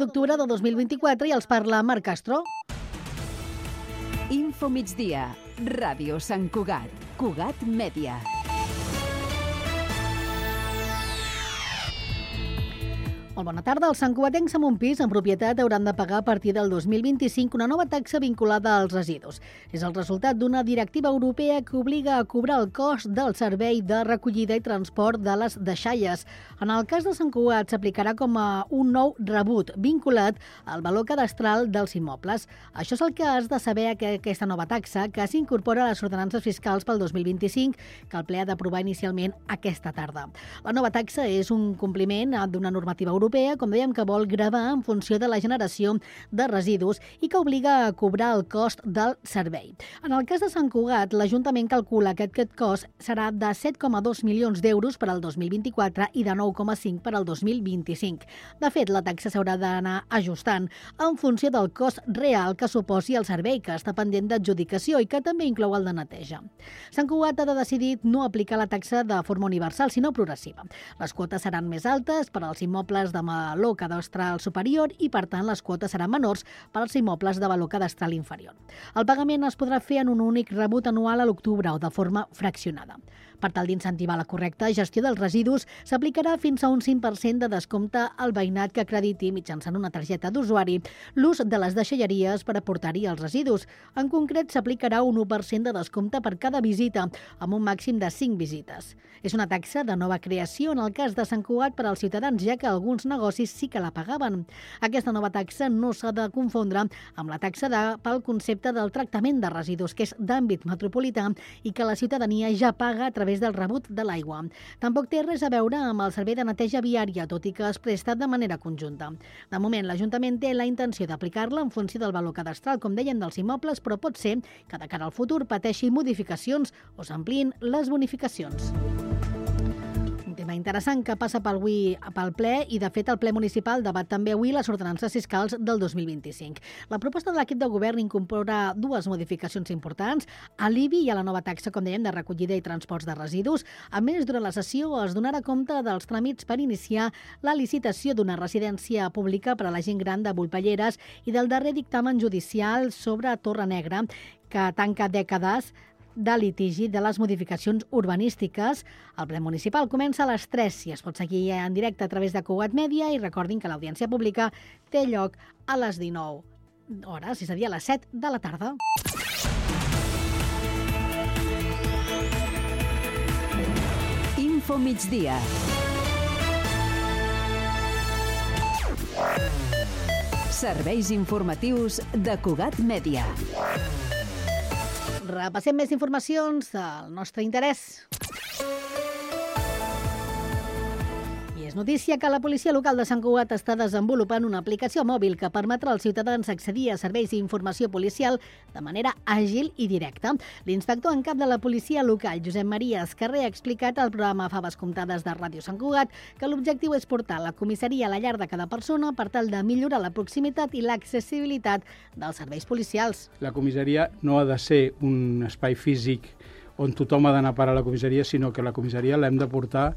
d'octubre de 2024 i els parla Marc Castro. Info migdia, Ràdio Sant Cugat, Cugat Mèdia. Molt bona tarda. Els santcugatencs amb un pis en propietat hauran de pagar a partir del 2025 una nova taxa vinculada als residus. És el resultat d'una directiva europea que obliga a cobrar el cost del servei de recollida i transport de les deixalles. En el cas de Sant Cugat s'aplicarà com a un nou rebut vinculat al valor cadastral dels immobles. Això és el que has de saber, que aquesta nova taxa, que s'incorpora a les ordenances fiscals pel 2025, que el ple ha d'aprovar inicialment aquesta tarda. La nova taxa és un compliment d'una normativa europea, com dèiem, que vol gravar en funció de la generació de residus i que obliga a cobrar el cost del servei. En el cas de Sant Cugat, l'Ajuntament calcula que aquest cost serà de 7,2 milions d'euros per al 2024 i de 9,5 per al 2025. De fet, la taxa s'haurà d'anar ajustant en funció del cost real que suposi el servei, que està pendent d'adjudicació i que també inclou el de neteja. Sant Cugat ha decidit no aplicar la taxa de forma universal, sinó progressiva. Les quotes seran més altes per als immobles de valor cadastral superior i, per tant, les quotes seran menors per als immobles de valor cadastral inferior. El pagament es podrà fer en un únic rebut anual a l'octubre o de forma fraccionada. Per tal d'incentivar la correcta gestió dels residus, s'aplicarà fins a un 5% de descompte al veïnat que acrediti mitjançant una targeta d'usuari l'ús de les deixalleries per aportar-hi els residus. En concret, s'aplicarà un 1% de descompte per cada visita, amb un màxim de 5 visites. És una taxa de nova creació en el cas de Sant Cugat per als ciutadans, ja que alguns negocis sí que la pagaven. Aquesta nova taxa no s'ha de confondre amb la taxa pel concepte del tractament de residus, que és d'àmbit metropolità i que la ciutadania ja paga a través del rebut de l'aigua. Tampoc té res a veure amb el servei de neteja viària, tot i que es presta de manera conjunta. De moment, l'Ajuntament té la intenció d'aplicar-la en funció del valor cadastral, com dèiem, dels immobles, però pot ser que de cara al futur pateixi modificacions o s'ampliïn les bonificacions. Un tema interessant que passa pel ple i, de fet, el ple municipal debat també avui les ordenances fiscals del 2025. La proposta de l'equip de govern incorpora dues modificacions importants, a l'IBI i a la nova taxa, com dèiem, de recollida i transports de residus. A més, durant la sessió es donarà compte dels tràmits per iniciar la licitació d'una residència pública per a la gent gran de Volpelleres i del darrer dictamen judicial sobre Torre Negra, que tanca dècades de litigi de les modificacions urbanístiques. El ple municipal comença a les 3 i es pot seguir en directe a través de Cugat Mèdia, i recordin que l'audiència pública té lloc a les 19 hores, és a dir, a les 7 de la tarda. Info migdia. Serveis informatius de Cugat Mèdia. Repassem més informacions del nostre interès. És notícia que la policia local de Sant Cugat està desenvolupant una aplicació mòbil que permetrà als ciutadans accedir a serveis d'informació policial de manera àgil i directa. L'inspector en cap de la policia local, Josep Maria Escarrer, ha explicat al programa Faves Comptades de Ràdio Sant Cugat que l'objectiu és portar la comissaria a la llar de cada persona per tal de millorar la proximitat i l'accessibilitat dels serveis policials. La comissaria no ha de ser un espai físic on tothom ha d'anar a parar a la comissaria, sinó que la comissaria l'hem de portar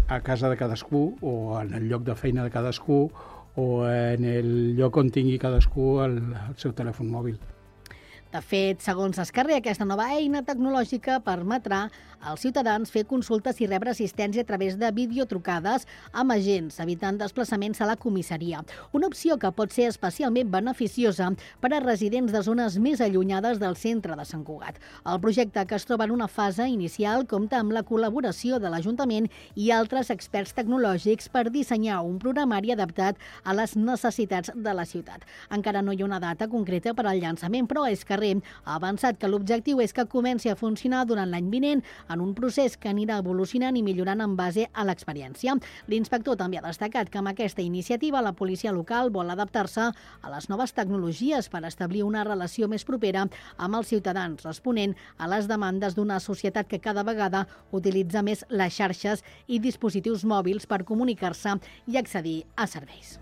a casa de cadascú o en el lloc de feina de cadascú o en el lloc on tingui cadascú el seu telèfon mòbil. De fet, segons Escarrer, aquesta nova eina tecnològica permetrà als ciutadans fer consultes i rebre assistència a través de videotrucades amb agents, evitant desplaçaments a la comissaria. Una opció que pot ser especialment beneficiosa per a residents de zones més allunyades del centre de Sant Cugat. El projecte, que es troba en una fase inicial, compta amb la col·laboració de l'Ajuntament i altres experts tecnològics per dissenyar un programari adaptat a les necessitats de la ciutat. Encara no hi ha una data concreta per al llançament, però Escarrer ha avançat que l'objectiu és que comenci a funcionar durant l'any vinent, en un procés que anirà evolucionant i millorant en base a l'experiència. L'inspector també ha destacat que amb aquesta iniciativa la policia local vol adaptar-se a les noves tecnologies per establir una relació més propera amb els ciutadans, responent a les demandes d'una societat que cada vegada utilitza més les xarxes i dispositius mòbils per comunicar-se i accedir a serveis.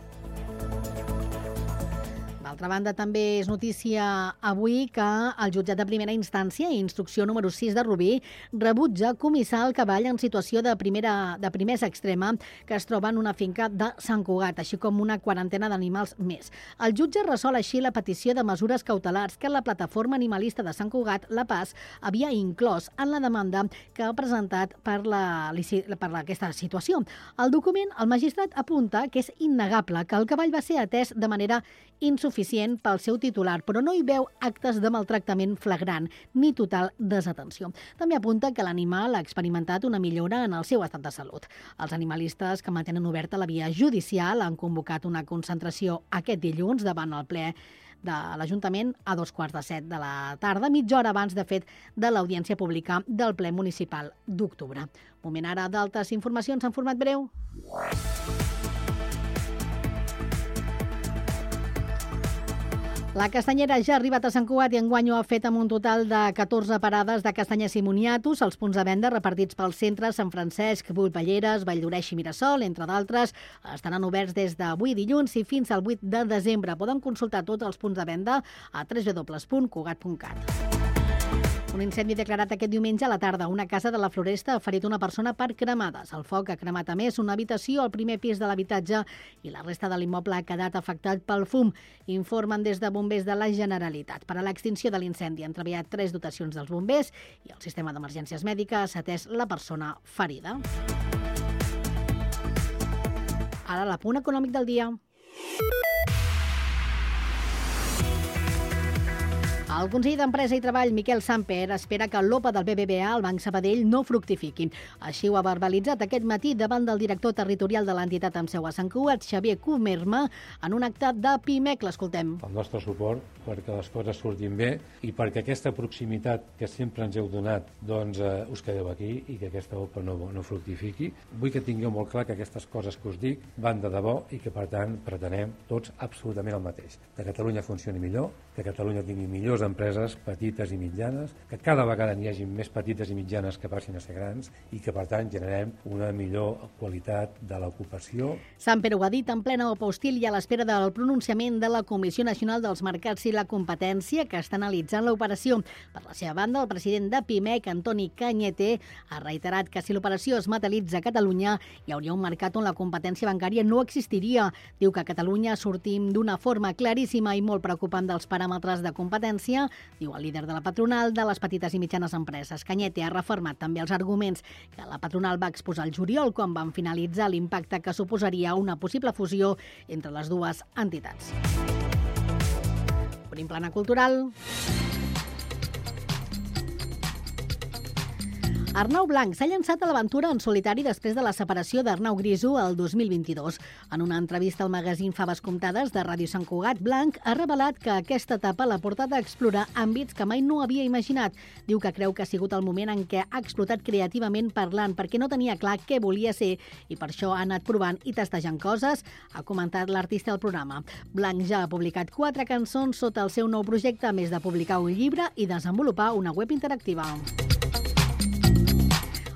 D'altra banda, també és notícia avui que el jutjat de primera instància, instrucció número 6 de Rubí, rebutja comissar el cavall en situació de primesa extrema que es troba en una finca de Sant Cugat, així com una quarantena d'animals més. El jutge resol així la petició de mesures cautelars que la plataforma animalista de Sant Cugat, La Paz, havia inclòs en la demanda que ha presentat per aquesta situació. Al document, el magistrat apunta que és innegable que el cavall va ser atès de manera insuficient pel seu titular, però no hi veu actes de maltractament flagrant ni total desatenció. També apunta que l'animal ha experimentat una millora en el seu estat de salut. Els animalistes que mantenen oberta la via judicial han convocat una concentració aquest dilluns davant el ple de l'Ajuntament a 14:15 de la tarda, mitja hora abans, de fet, de l'audiència pública del ple municipal d'octubre. Moment ara d'altres informacions en format breu. La castanyera ja ha arribat a Sant Cugat i enguany ho ha fet amb un total de 14 parades de castanyes i moniatos. Els punts de venda repartits pels centres Sant Francesc, Butlballeres, Valldoreix i Mirasol, entre d'altres, estaran oberts des d'avui dilluns i fins al 8 de desembre. Poden consultar tots els punts de venda a www.cugat.cat. Un incendi declarat aquest diumenge a la tarda. Una casa de la Floresta ha ferit una persona per cremades. El foc ha cremat a més una habitació al primer pis de l'habitatge i la resta de l'immoble ha quedat afectat pel fum. Informen des de bombers de la Generalitat. Per a l'extinció de l'incendi han treballat 3 dotacions dels bombers i el sistema d'emergències mèdiques ha atès la persona ferida. Ara l'apunt econòmic del dia. El conseller d'Empresa i Treball, Miquel Samper, espera que l'OPA del BBVA al Banc Sabadell no fructifiqui. Així ho ha verbalitzat aquest matí davant del director territorial de l'entitat amb seu a Sant Cugat, Xavier Comerma, en un acte de PIMEC. L'escoltem. El nostre suport perquè les coses surtin bé i perquè aquesta proximitat que sempre ens heu donat us quedeu aquí i que aquesta OPA no fructifiqui. Vull que tingueu molt clar que aquestes coses que us dic van de debò i que, per tant, pretenem tots absolutament el mateix. Que Catalunya funcioni millor, que Catalunya tingui millors empreses petites i mitjanes, que cada vegada n'hi hagi més petites i mitjanes que passin a ser grans i que, per tant, generem una millor qualitat de l'ocupació. Samper ho ha dit en plena OPA hostil i a l'espera del pronunciament de la Comissió Nacional dels Mercats i la Competència, que està analitzant l'operació. Per la seva banda, el president de PIMEC, Antoni Cañete, ha reiterat que si l'operació es materialitza a Catalunya, hi hauria un mercat on la competència bancària no existiria. Diu que a Catalunya sortim d'una forma claríssima i molt preocupant dels paràmetres de competència, diu el líder de la patronal de les petites i mitjanes empreses. Cañete ha refermat també els arguments que la patronal va exposar el juliol quan van finalitzar l'impacte que suposaria una possible fusió entre les dues entitats. Obrim plana cultural. Arnau Blanc s'ha llançat a l'aventura en solitari després de la separació d'Arnau Griso el 2022. En una entrevista al magazín Faves Comptades de Ràdio Sant Cugat, Blanc ha revelat que aquesta etapa l'ha portat a explorar àmbits que mai no havia imaginat. Diu que creu que ha sigut el moment en què ha explotat creativament parlant perquè no tenia clar què volia ser i per això ha anat provant i testejant coses, ha comentat l'artista al programa. Blanc ja ha publicat 4 cançons sota el seu nou projecte, a més de publicar un llibre i desenvolupar una web interactiva.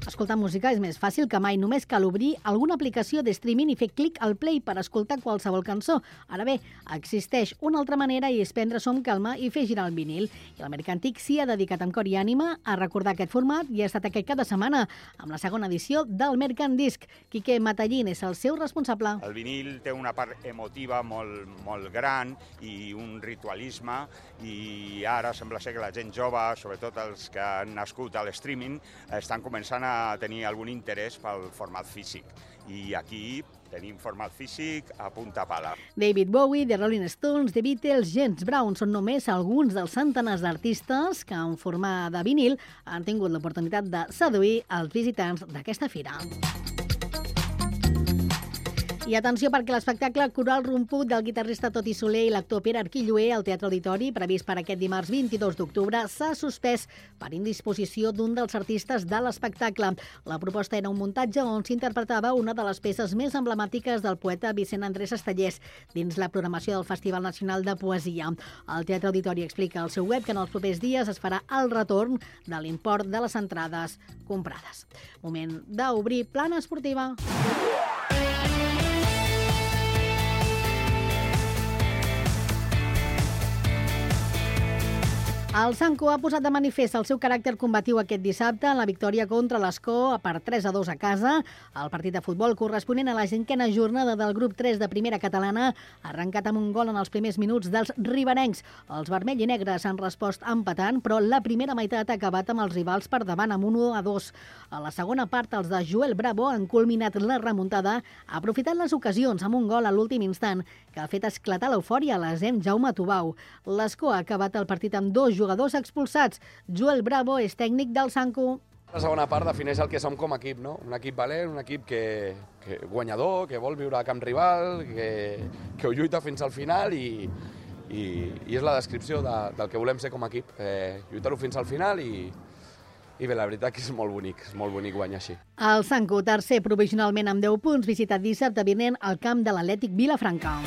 Escoltar música és més fàcil que mai. Només cal obrir alguna aplicació de streaming i fer clic al play per escoltar qualsevol cançó. Ara bé, existeix una altra manera i és prendre-s'ho amb calma i fer girar el vinil. I el Mercantic s'hi ha dedicat amb cor i ànima a recordar aquest format i ha estat aquest cada setmana amb la segona edició del Mercandisc. Quique Matallín és el seu responsable. El vinil té una part emotiva molt gran i un ritualisme i ara sembla ser que la gent jove, sobretot els que han nascut a l'streaming, estan començant a tenir algun interès pel format físic. I aquí tenim format físic a punta pala. David Bowie, The Rolling Stones, The Beatles, James Brown són només alguns dels centenars d'artistes que en forma de vinil han tingut l'oportunitat de seduir els visitants d'aquesta fira. I atenció perquè l'espectacle Coral Romput del guitarrista Toti Soler i l'actor Pere Arquilloé al Teatre Auditori, previst per aquest dimarts 22 d'octubre, s'ha suspès per indisposició d'un dels artistes de l'espectacle. La proposta era un muntatge on s'interpretava una de les peces més emblemàtiques del poeta Vicent Andrés Estellés dins la programació del Festival Nacional de Poesia. El Teatre Auditori explica al seu web que en els propers dies es farà el retorn de l'import de les entrades comprades. Moment d'obrir plana esportiva. El Sanco ha posat de manifest el seu caràcter combatiu aquest dissabte en la victòria contra l'Escó per 3-2 a casa. El partit de futbol corresponent a la 5a jornada del grup 3 de primera catalana ha arrencat amb un gol en els primers minuts dels riberencs. Els vermell i negres han respost empatant, però la primera meitat ha acabat amb els rivals per davant amb 1-2. A la segona part, els de Joel Bravo han culminat la remuntada, aprofitant les ocasions amb un gol a l'últim instant que ha fet esclatar l'eufòria a l'Asem Jaume Tubau. L'Escó ha acabat el partit amb 2 jugadors expulsats. Joel Bravo és tècnic del Sanco. La segona part defineix el que som com a equip, no? Un equip valent, un equip que guanyador, que vol viure a camp rival, que ho lluita fins al final i és la descripció del que volem ser com a equip. Lluitar-ho fins al final i bé, la veritat que és molt bonic guanyar així. El Sanco, tercer provisionalment amb 10 punts, visitat dissabte vinent al camp de l'Atlètic Vilafranca.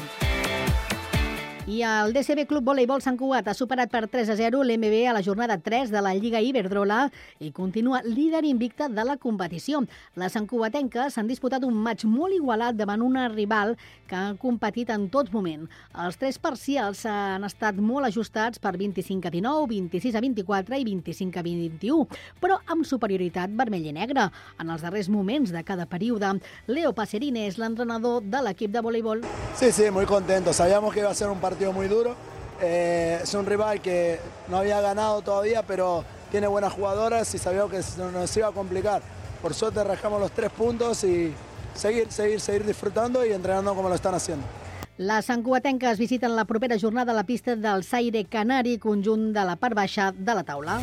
I el DCB Club Voleibol Sant Cugat ha superat per 3-0 l'MB a la jornada 3 de la Lliga Iberdrola i continua líder invicta de la competició. Les santcugatenques s'han disputat un maig molt igualat davant una rival que ha competit en tot moment. Els 3 parcials han estat molt ajustats per 25-19, 26-24 i 25-21, però amb superioritat vermell i negre. En els darrers moments de cada període, Leo Pacerine és l'entrenador de l'equip de voleibol. Sí, muy contento. Sabíamos que iba a ser un partido muy duro. Es un rival que no había ganado todavía, pero tiene buenas jugadoras y sabíamos que nos iba a complicar. Por suerte rascamos los 3 puntos y seguir disfrutando y entrenando como lo están haciendo. Les santcugatenques visiten la propera jornada a la pista del Saire Canari, conjunt de la part baixa de la taula.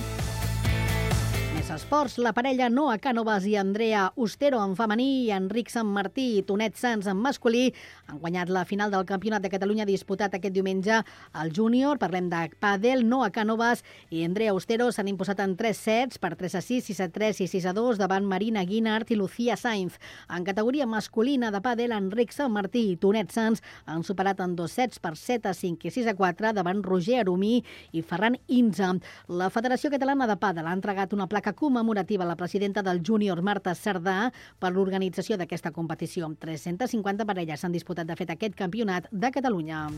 Més esports, la parella Noa Cànovas i Andrea Ustero en femení i Enric Sant Martí i Tonet Sans en masculí han guanyat la final del Campionat de Catalunya disputat aquest diumenge al júnior. Parlem de pàdel. Noa Cànovas i Andrea Ustero s'han imposat en 3 sets per 3-6, 6-3 i 6-2 davant Marina Guinart i Lucía Sainz. En categoria masculina de pàdel, Enric Sant Martí i Tonet Sans han superat en 2 sets per 7-5 i 6-4 davant Roger Arumí i Ferran Inza. La Federació Catalana de Pàdel ha entregat una placa commemorativa a la presidenta del júnior, Marta Cerdà, per l'organització d'aquesta competició. 350 parelles s'han disputat de fet aquest campionat de Catalunya.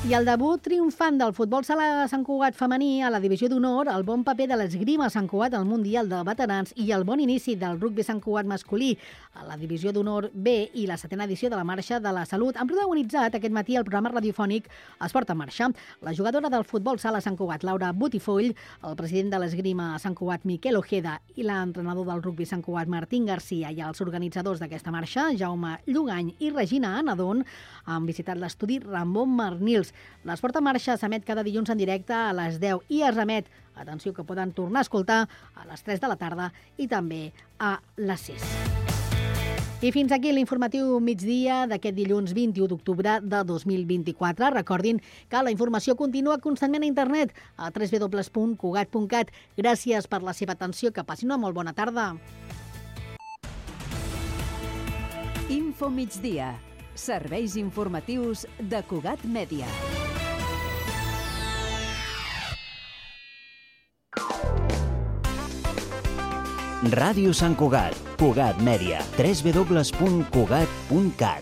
I el debut triomfant del futbol sala Sant Cugat femení a la divisió d'honor, el bon paper de l'esgrima Sant Cugat al Mundial de Veterans i el bon inici del rugbi Sant Cugat masculí a la divisió d'honor B i la 7a edició de la Marxa de la Salut han protagonitzat aquest matí el programa radiofònic Esport en Marxa. La jugadora del futbol sala Sant Cugat, Laura Botifoll, el president de l'esgrima Sant Cugat, Miquel Ojeda, i l'entrenador del rugbi Sant Cugat, Martín Garcia, i els organitzadors d'aquesta marxa, Jaume Llugany i Regina Anadon, han visitat l'estudi Ramon Marnils. L'Esport en Marxa s'emet cada dilluns en directe a les 10 i es remet, atenció, que poden tornar a escoltar a les 3 de la tarda i també a les 6. I fins aquí l'informatiu migdia d'aquest dilluns 21 d'octubre de 2024. Recordin que la informació continua constantment a internet a www.cugat.cat. Gràcies per la seva atenció, que passin una molt bona tarda. Info migdia. Serveis informatius de Cugat Mèdia. Ràdio Sant Cugat, Cugat Mèdia, www.cugat.cat.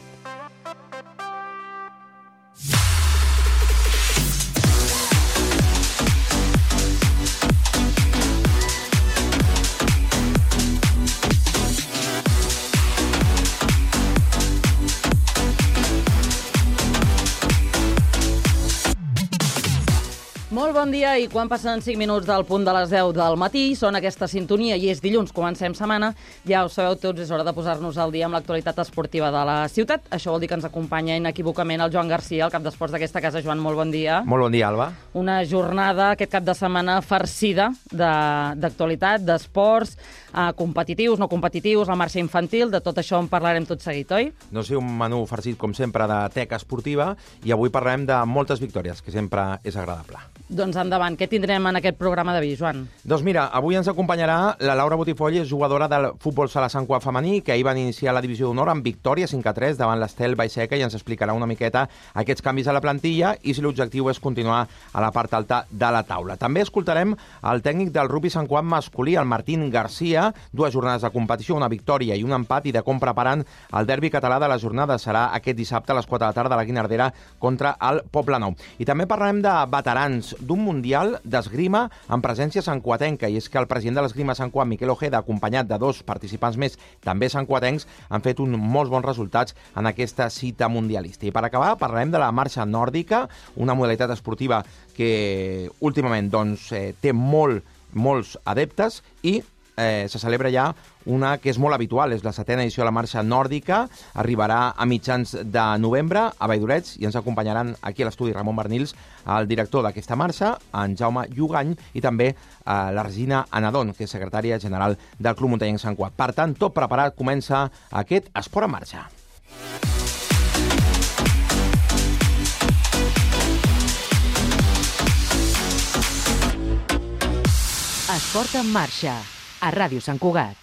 Molt bon dia, i quan passen 5 minuts del punt de les 10 del matí, són aquesta sintonia i és dilluns, comencem setmana, ja ho sabeu tots, és hora de posar-nos al dia amb l'actualitat esportiva de la ciutat. Això vol dir que ens acompanya inequívocament el Joan Garcia, el cap d'esports d'aquesta casa. Joan, molt bon dia. Molt bon dia, Alba. Una jornada aquest cap de setmana farcida d'actualitat, d'esports, competitius, no competitius, la marxa infantil, de tot això en parlarem tot seguit, oi? No sé, un menú farcit, com sempre, de teca esportiva, i avui parlarem de moltes victòries, que sempre és agradable. Doncs endavant, què tindrem en aquest programa d'avui, Joan? Doncs mira, avui ens acompanyarà la Laura Botifoll, jugadora del futbol sala Sant Cugat femení, que ahir van iniciar la divisió d'honor amb victòria 5-3 davant l'Estel Baixeca, i ens explicarà una miqueta aquests canvis a la plantilla i si l'objectiu és continuar a la part alta de la taula. També escoltarem el tècnic del rugbi Sant Cugat masculí, el Martín Garcia, 2 jornades de competició, una victòria i un empat, i de com preparant el derbi català de la jornada. Serà aquest dissabte a les 4 de la tarda a la Guinardera contra el Poblenou. I també parlarem de veterans, d'un mundial d'esgrima en presència santcuatenca, i és que el president de l'esgrima Sant Cuat, Miquel Ojeda, acompanyat de 2 participants més, també santcuatencs, han fet molts bons resultats en aquesta cita mundialista. I per acabar, parlarem de la marxa nòrdica, una modalitat esportiva que últimament té molts adeptes i se celebra ja una que és molt habitual, és la 7a edició de la marxa nòrdica, arribarà a mitjans de novembre a Valldoreix i ens acompanyaran aquí a l'estudi Ramon Bernils, el director d'aquesta marxa, en Jaume Llugany, i també la Regina Anadon, que és secretària general del Club Muntanyenc Sant Cuat. Per tant, tot preparat, comença aquest Esport en Marxa. Esport en Marxa, a Ràdio Sant Cugat.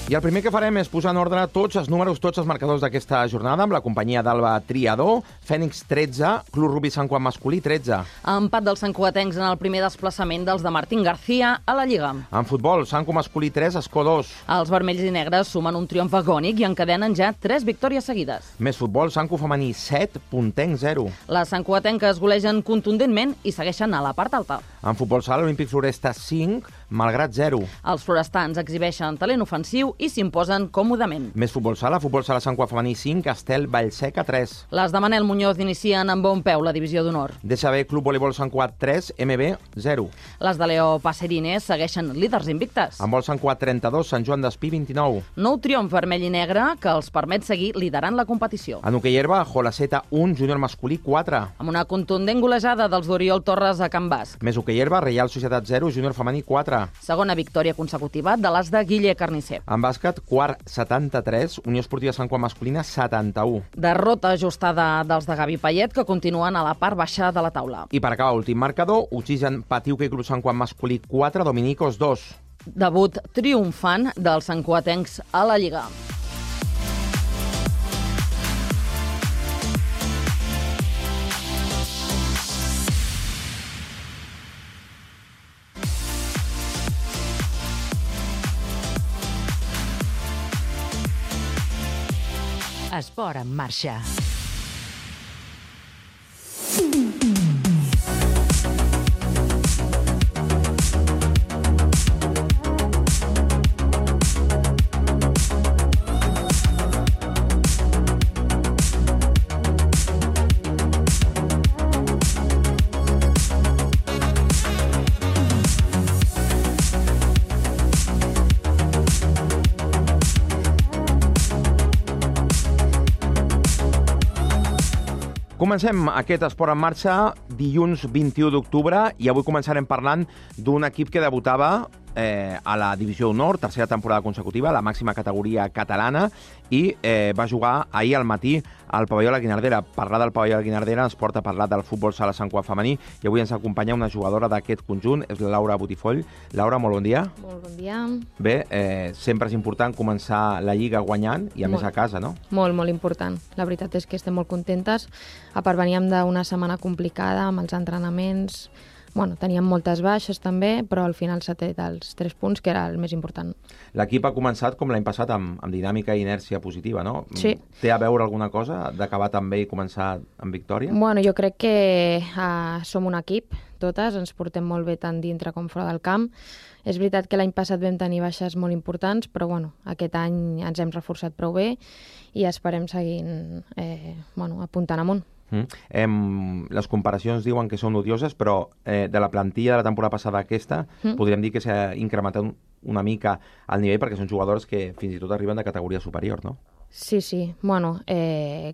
I el primer que farem és posar en ordre tots els números, tots els marcadors d'aquesta jornada amb la companyia d'Alba Triador. Fènix 13, Club Rugbi Sant Cuat masculí 13. Empat dels santcuatencs en el primer desplaçament dels de Martín García a la Lliga. En futbol, Sant Cuat masculí 3, Escó 2. Els vermells i negres sumen un triomf agònic i encadenen ja 3 victòries seguides. Més futbol, Sant Cuat femení 7, Pontenc 0. Les santcuatenques golegen contundentment i segueixen a la part alta. En futbol sala, Olímpic Floresta 5, Malgrat 0. Els florestans exhibeixen talent ofensiu i s'imposen còmodament. Més futbol sala Sant Cuat femení 5, Castel Vallseca 3. Les de Manel Muñoz inicien amb bon peu la divisió d'honor. DSB Club Voleibol Sant Cuat 3, MB 0. Les de Leo Passerines segueixen líders invictes. En vol Sant Cuat 32, Sant Joan d'Espí 29. Nou triomf vermell i negre que els permet seguir liderant la competició. En hoquei herba, Jolaceta 1, Júnior masculí 4. Amb una contundent golejada dels d'Oriol Torres a Can Basc. Més hoquei herba, Reial Societat 0, Júnior femení 4. Segona victòria consecutiva de les de Guille Carnisser. En bàsquet, quart 73, Unió Esportiva Sant Cuat masculina 71. Derrota ajustada dels de Gavi Payet, que continuen a la part baixa de la taula. I per acabar, últim marcador, Oxigen Patiu Club Sant Cuat masculí 4, Dominicos 2. Debut triomfant dels santcuatencs a la Lliga. Esport en Marxa. Comencem aquest Esport en Marxa dilluns 21 d'octubre i avui començarem parlant d'un equip que debutava a la Divisió d'Honor, tercera temporada consecutiva, la màxima categoria catalana, i va jugar ahir al matí al pavelló de la Guinardera. Parlar del pavelló de la Guinardera ens porta a parlar del futbol sala Sant Cuat femení, i avui ens acompanya una jugadora d'aquest conjunt, és la Laura Botifoll. Laura, molt bon dia. Molt bon dia. Bé, sempre és important començar la Lliga guanyant, i a més a casa, no? Molt, molt important. La veritat és que estem molt contentes. A part, veníem d'una setmana complicada amb els entrenaments. Bueno, teníem moltes baixes també, però al final s'ha tret els 3 punts, que era el més important. L'equip ha començat com l'any passat amb dinàmica i inèrcia positiva, no? Sí. Té a veure alguna cosa d'acabar tan bé i començar amb victòria? Bueno, jo crec que som un equip, totes, ens portem molt bé tant dintre com fora del camp. És veritat que l'any passat vam tenir baixes molt importants, però bueno, aquest any ens hem reforçat prou bé i esperem seguir apuntant amunt. Les comparacions diuen que són odioses, però de la plantilla de la temporada passada a aquesta podríem dir que s'ha incrementat una mica el nivell, perquè són jugadors que fins i tot arriben de categoria superior, no? Sí. Bueno,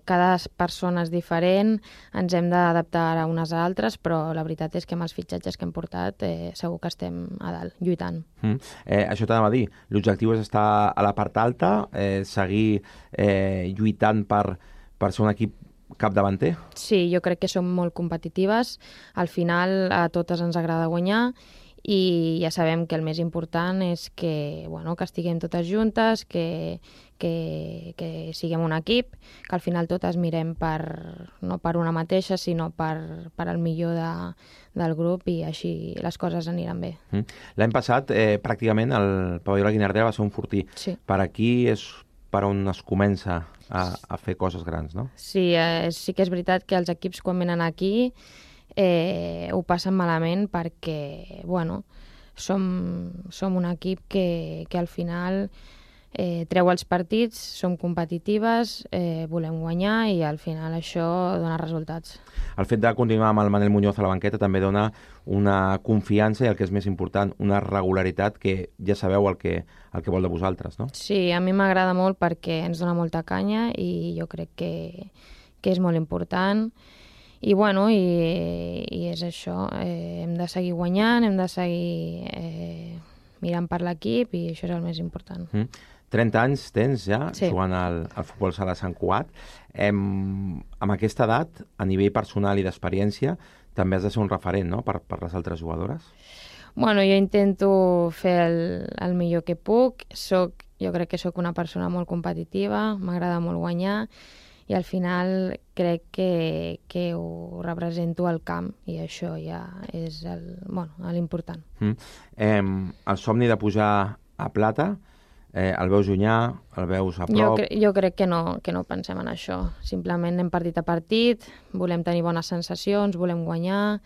cada persona és diferent, ens hem d'adaptar a unes a altres, però la veritat és que amb els fitxatges que hem portat segur que estem a dalt, lluitant. Això t'anava a dir, l'objectiu és estar a la part alta, seguir lluitant per ser un equip capdavanter? Sí, jo crec que som molt competitives. Al final a totes ens agrada guanyar i ja sabem que el més important és que estiguem totes juntes, que siguem un equip, que al final totes mirem no per una mateixa, sinó per al millor del grup, i així les coses aniran bé. L'any passat, pràcticament, el pavelló de la Guinardera va ser un fortí. Sí. Per aquí és per on es comença a fer coses grans, no? Sí, sí que és veritat que els equips quan venen aquí ho passen malament perquè, som un equip que al final treu els partits, som competitives, volem guanyar i al final això dona resultats. El fet de continuar amb el Manel Muñoz a la banqueta també dona una confiança i, el que és més important, una regularitat que ja sabeu el que vol de vosaltres, no? Sí, a mi m'agrada molt perquè ens dona molta canya i jo crec que és molt important. I és això, hem de seguir guanyant, hem de seguir mirant per l'equip i això és el més important. 30 anys tens ja, sí, jugant al futbol sala Sant Cugat. Amb aquesta edat, a nivell personal i d'experiència, també has de ser un referent, no?, per les altres jugadores? Jo intento fer el millor que puc. Jo crec que sóc una persona molt competitiva, m'agrada molt guanyar, i al final crec que ho represento al camp i això ja és l'important. El somni de pujar a plata, el veus llunyà, el veus a prop? Jo crec que no pensem en això. Simplement anem partit a partit, volem tenir bones sensacions, volem guanyar,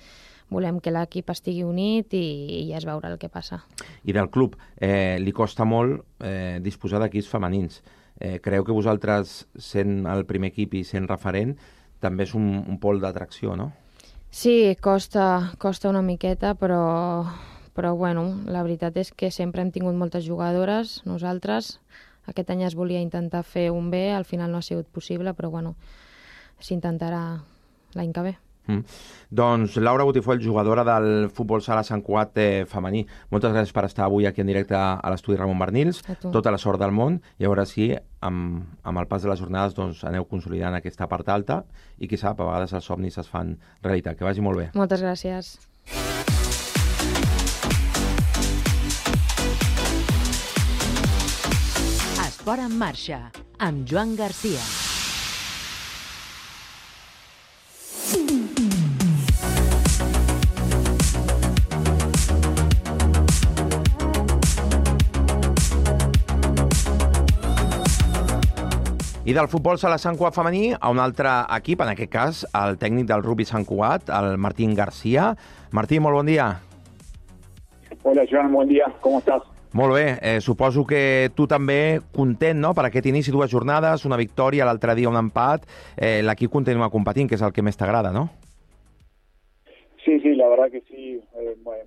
volem que l'equip estigui unit i ja es veurà el que passa. I del club, li costa molt disposar d'equips femenins. Creu que vosaltres, sent el primer equip i sent referent, també és un pol d'atracció, no? Sí, costa una miqueta, però la veritat és que sempre hem tingut moltes jugadores, nosaltres. Aquest any es volia intentar fer un bé, al final no ha sigut possible, però s'intentarà l'any que ve. Doncs Laura Botifoll, jugadora del futbol sala Sant Cugat femení, moltes gràcies per estar avui aquí en directe a l'estudi Ramon Barnils. Tota la sort del món, i a veure si amb el pas de les jornades aneu consolidant aquesta part alta i qui sap, a vegades els somnis es fan realitat. Que vagi molt bé. Moltes gràcies. Esport en marxa, amb Joan Garcia. I del futbol sala Sant Cugat femení a un altre equip, en aquest cas el tècnic del rugby Sant Cugat, el Martín García. Martí, molt bon dia. Hola, Joan, bon dia. Com estàs? Molt bé. Suposo que tu també content, no?, per aquest inici, 2 jornades, una victòria, l'altre dia un empat. L'equip continua competint, que és el que més t'agrada, ¿no? Sí, la verdad que sí.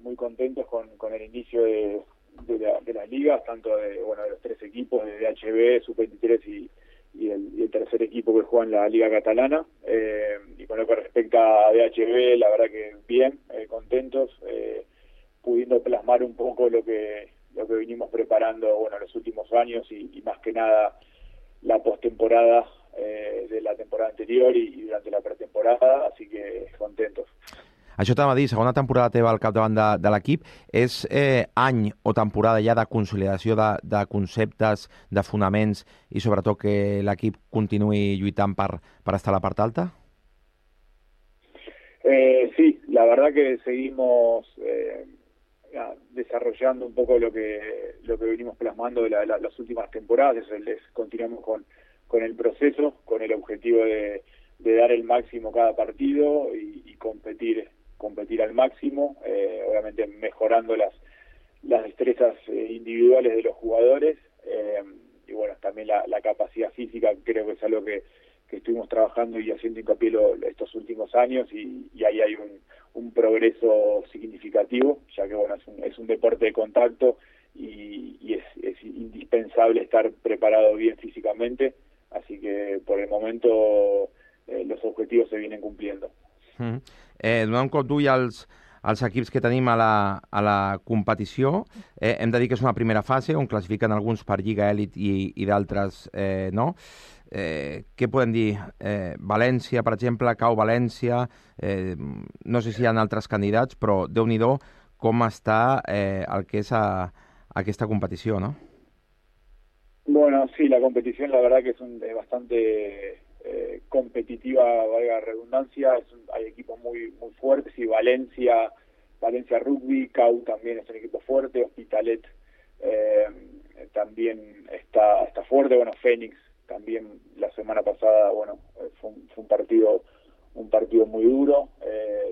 Muy contentos con el inicio de las ligas, tanto de los 3 equipos, de DHB, Sub-23 y el tercer equipo que juega en la Liga Catalana. Y con lo que respecta a DHB, la verdad que bien, contentos, pudiendo plasmar un poco lo que vinimos preparando los últimos años y más que nada la postemporada de la temporada anterior y durante la pretemporada, así que contentos. Això t'ha de dir, segona temporada teva al capdavant de l'equip, és any o temporada ja de consolidació de conceptes, de fonaments i sobretot que l'equip continuï lluitant per estar a la part alta? Sí, la verdad que seguimos desarrollando un poco lo que venimos plasmando de las últimas temporadas. Continuamos con el proceso, con el objetivo de dar el máximo cada partido y competir al máximo, obviamente mejorando las destrezas individuales de los jugadores y también la capacidad física. Creo que es algo que estuvimos trabajando y haciendo hincapié estos últimos años y ahí hay un progreso significativo, ya que es un deporte de contacto y es indispensable estar preparado bien físicamente, así que por el momento los objetivos se vienen cumpliendo. Donant un cop d'ull als equips que tenim a la competició, hem de dir que és una primera fase on classifiquen alguns per Lliga Elit i d'altres no. Què podem dir? València, per exemple, cau València, no sé si hi ha altres candidats, però Déu-n'hi-do com està el que és aquesta competició, ¿no? Bueno, sí, la competición la verdad que es bastante competitiva, valga la redundancia. Hay equipos muy fuertes y Valencia Rugby, CAU también es un equipo fuerte, Hospitalet también está fuerte, bueno, Fénix también la semana pasada, bueno, fue un partido muy duro,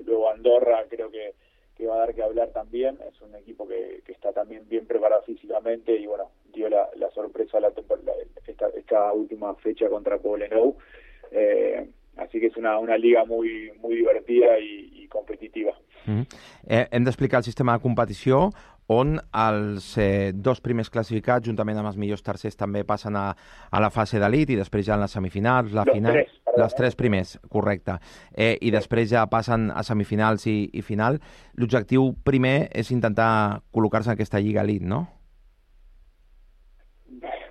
luego Andorra creo que va a dar que hablar también, es un equipo que está también bien preparado físicamente y bueno, dio la sorpresa esta última fecha contra Poblenou, así que es una liga muy divertida y competitiva. Hem d'explicar el sistema de competició on els dos primers classificats, juntament amb els millors tercers, també passen a la fase d'elit i després ja en les semifinals, la final... Les tres primers, correcte. I després ja passen a semifinals i final. L'objectiu primer és intentar col·locar-se en aquesta lliga elit, ¿no?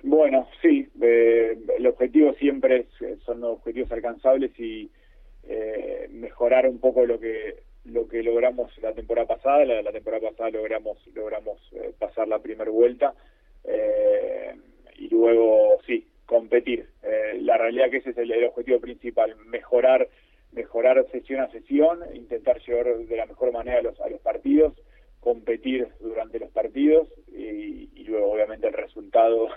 Bueno, sí. El objetivo siempre son objetivos alcanzables y mejorar un poco lo que logramos la temporada pasada. La temporada pasada logramos pasar la primera vuelta y luego sí, competir. La realidad que ese es el objetivo principal, mejorar sesión a sesión, intentar llevar de la mejor manera a los partidos, competir durante los partidos y luego obviamente el resultado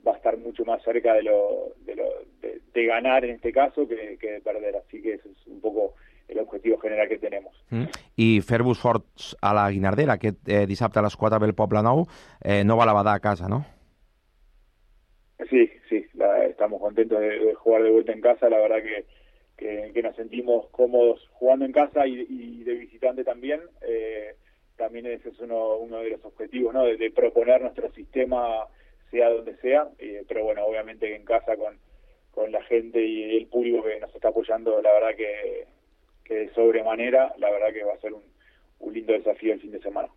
va a estar mucho más cerca de ganar en este caso que de perder, así que ese es un poco el objetivo general que tenemos. I fer-vos forts a la Guinardera, aquest dissabte a les 4 ve el Poblenou, no va a la Badà a casa, ¿no? Sí, estamos contentos de jugar de vuelta en casa, la verdad que nos sentimos cómodos jugando en casa y de visitante también. También ese es uno de los objetivos, ¿no? De proponer nuestro sistema sea donde sea, pero bueno, obviamente en casa con la gente y el público que nos está apoyando, la verdad que de sobremanera, la verdad que va a ser un lindo desafío el fin de semana.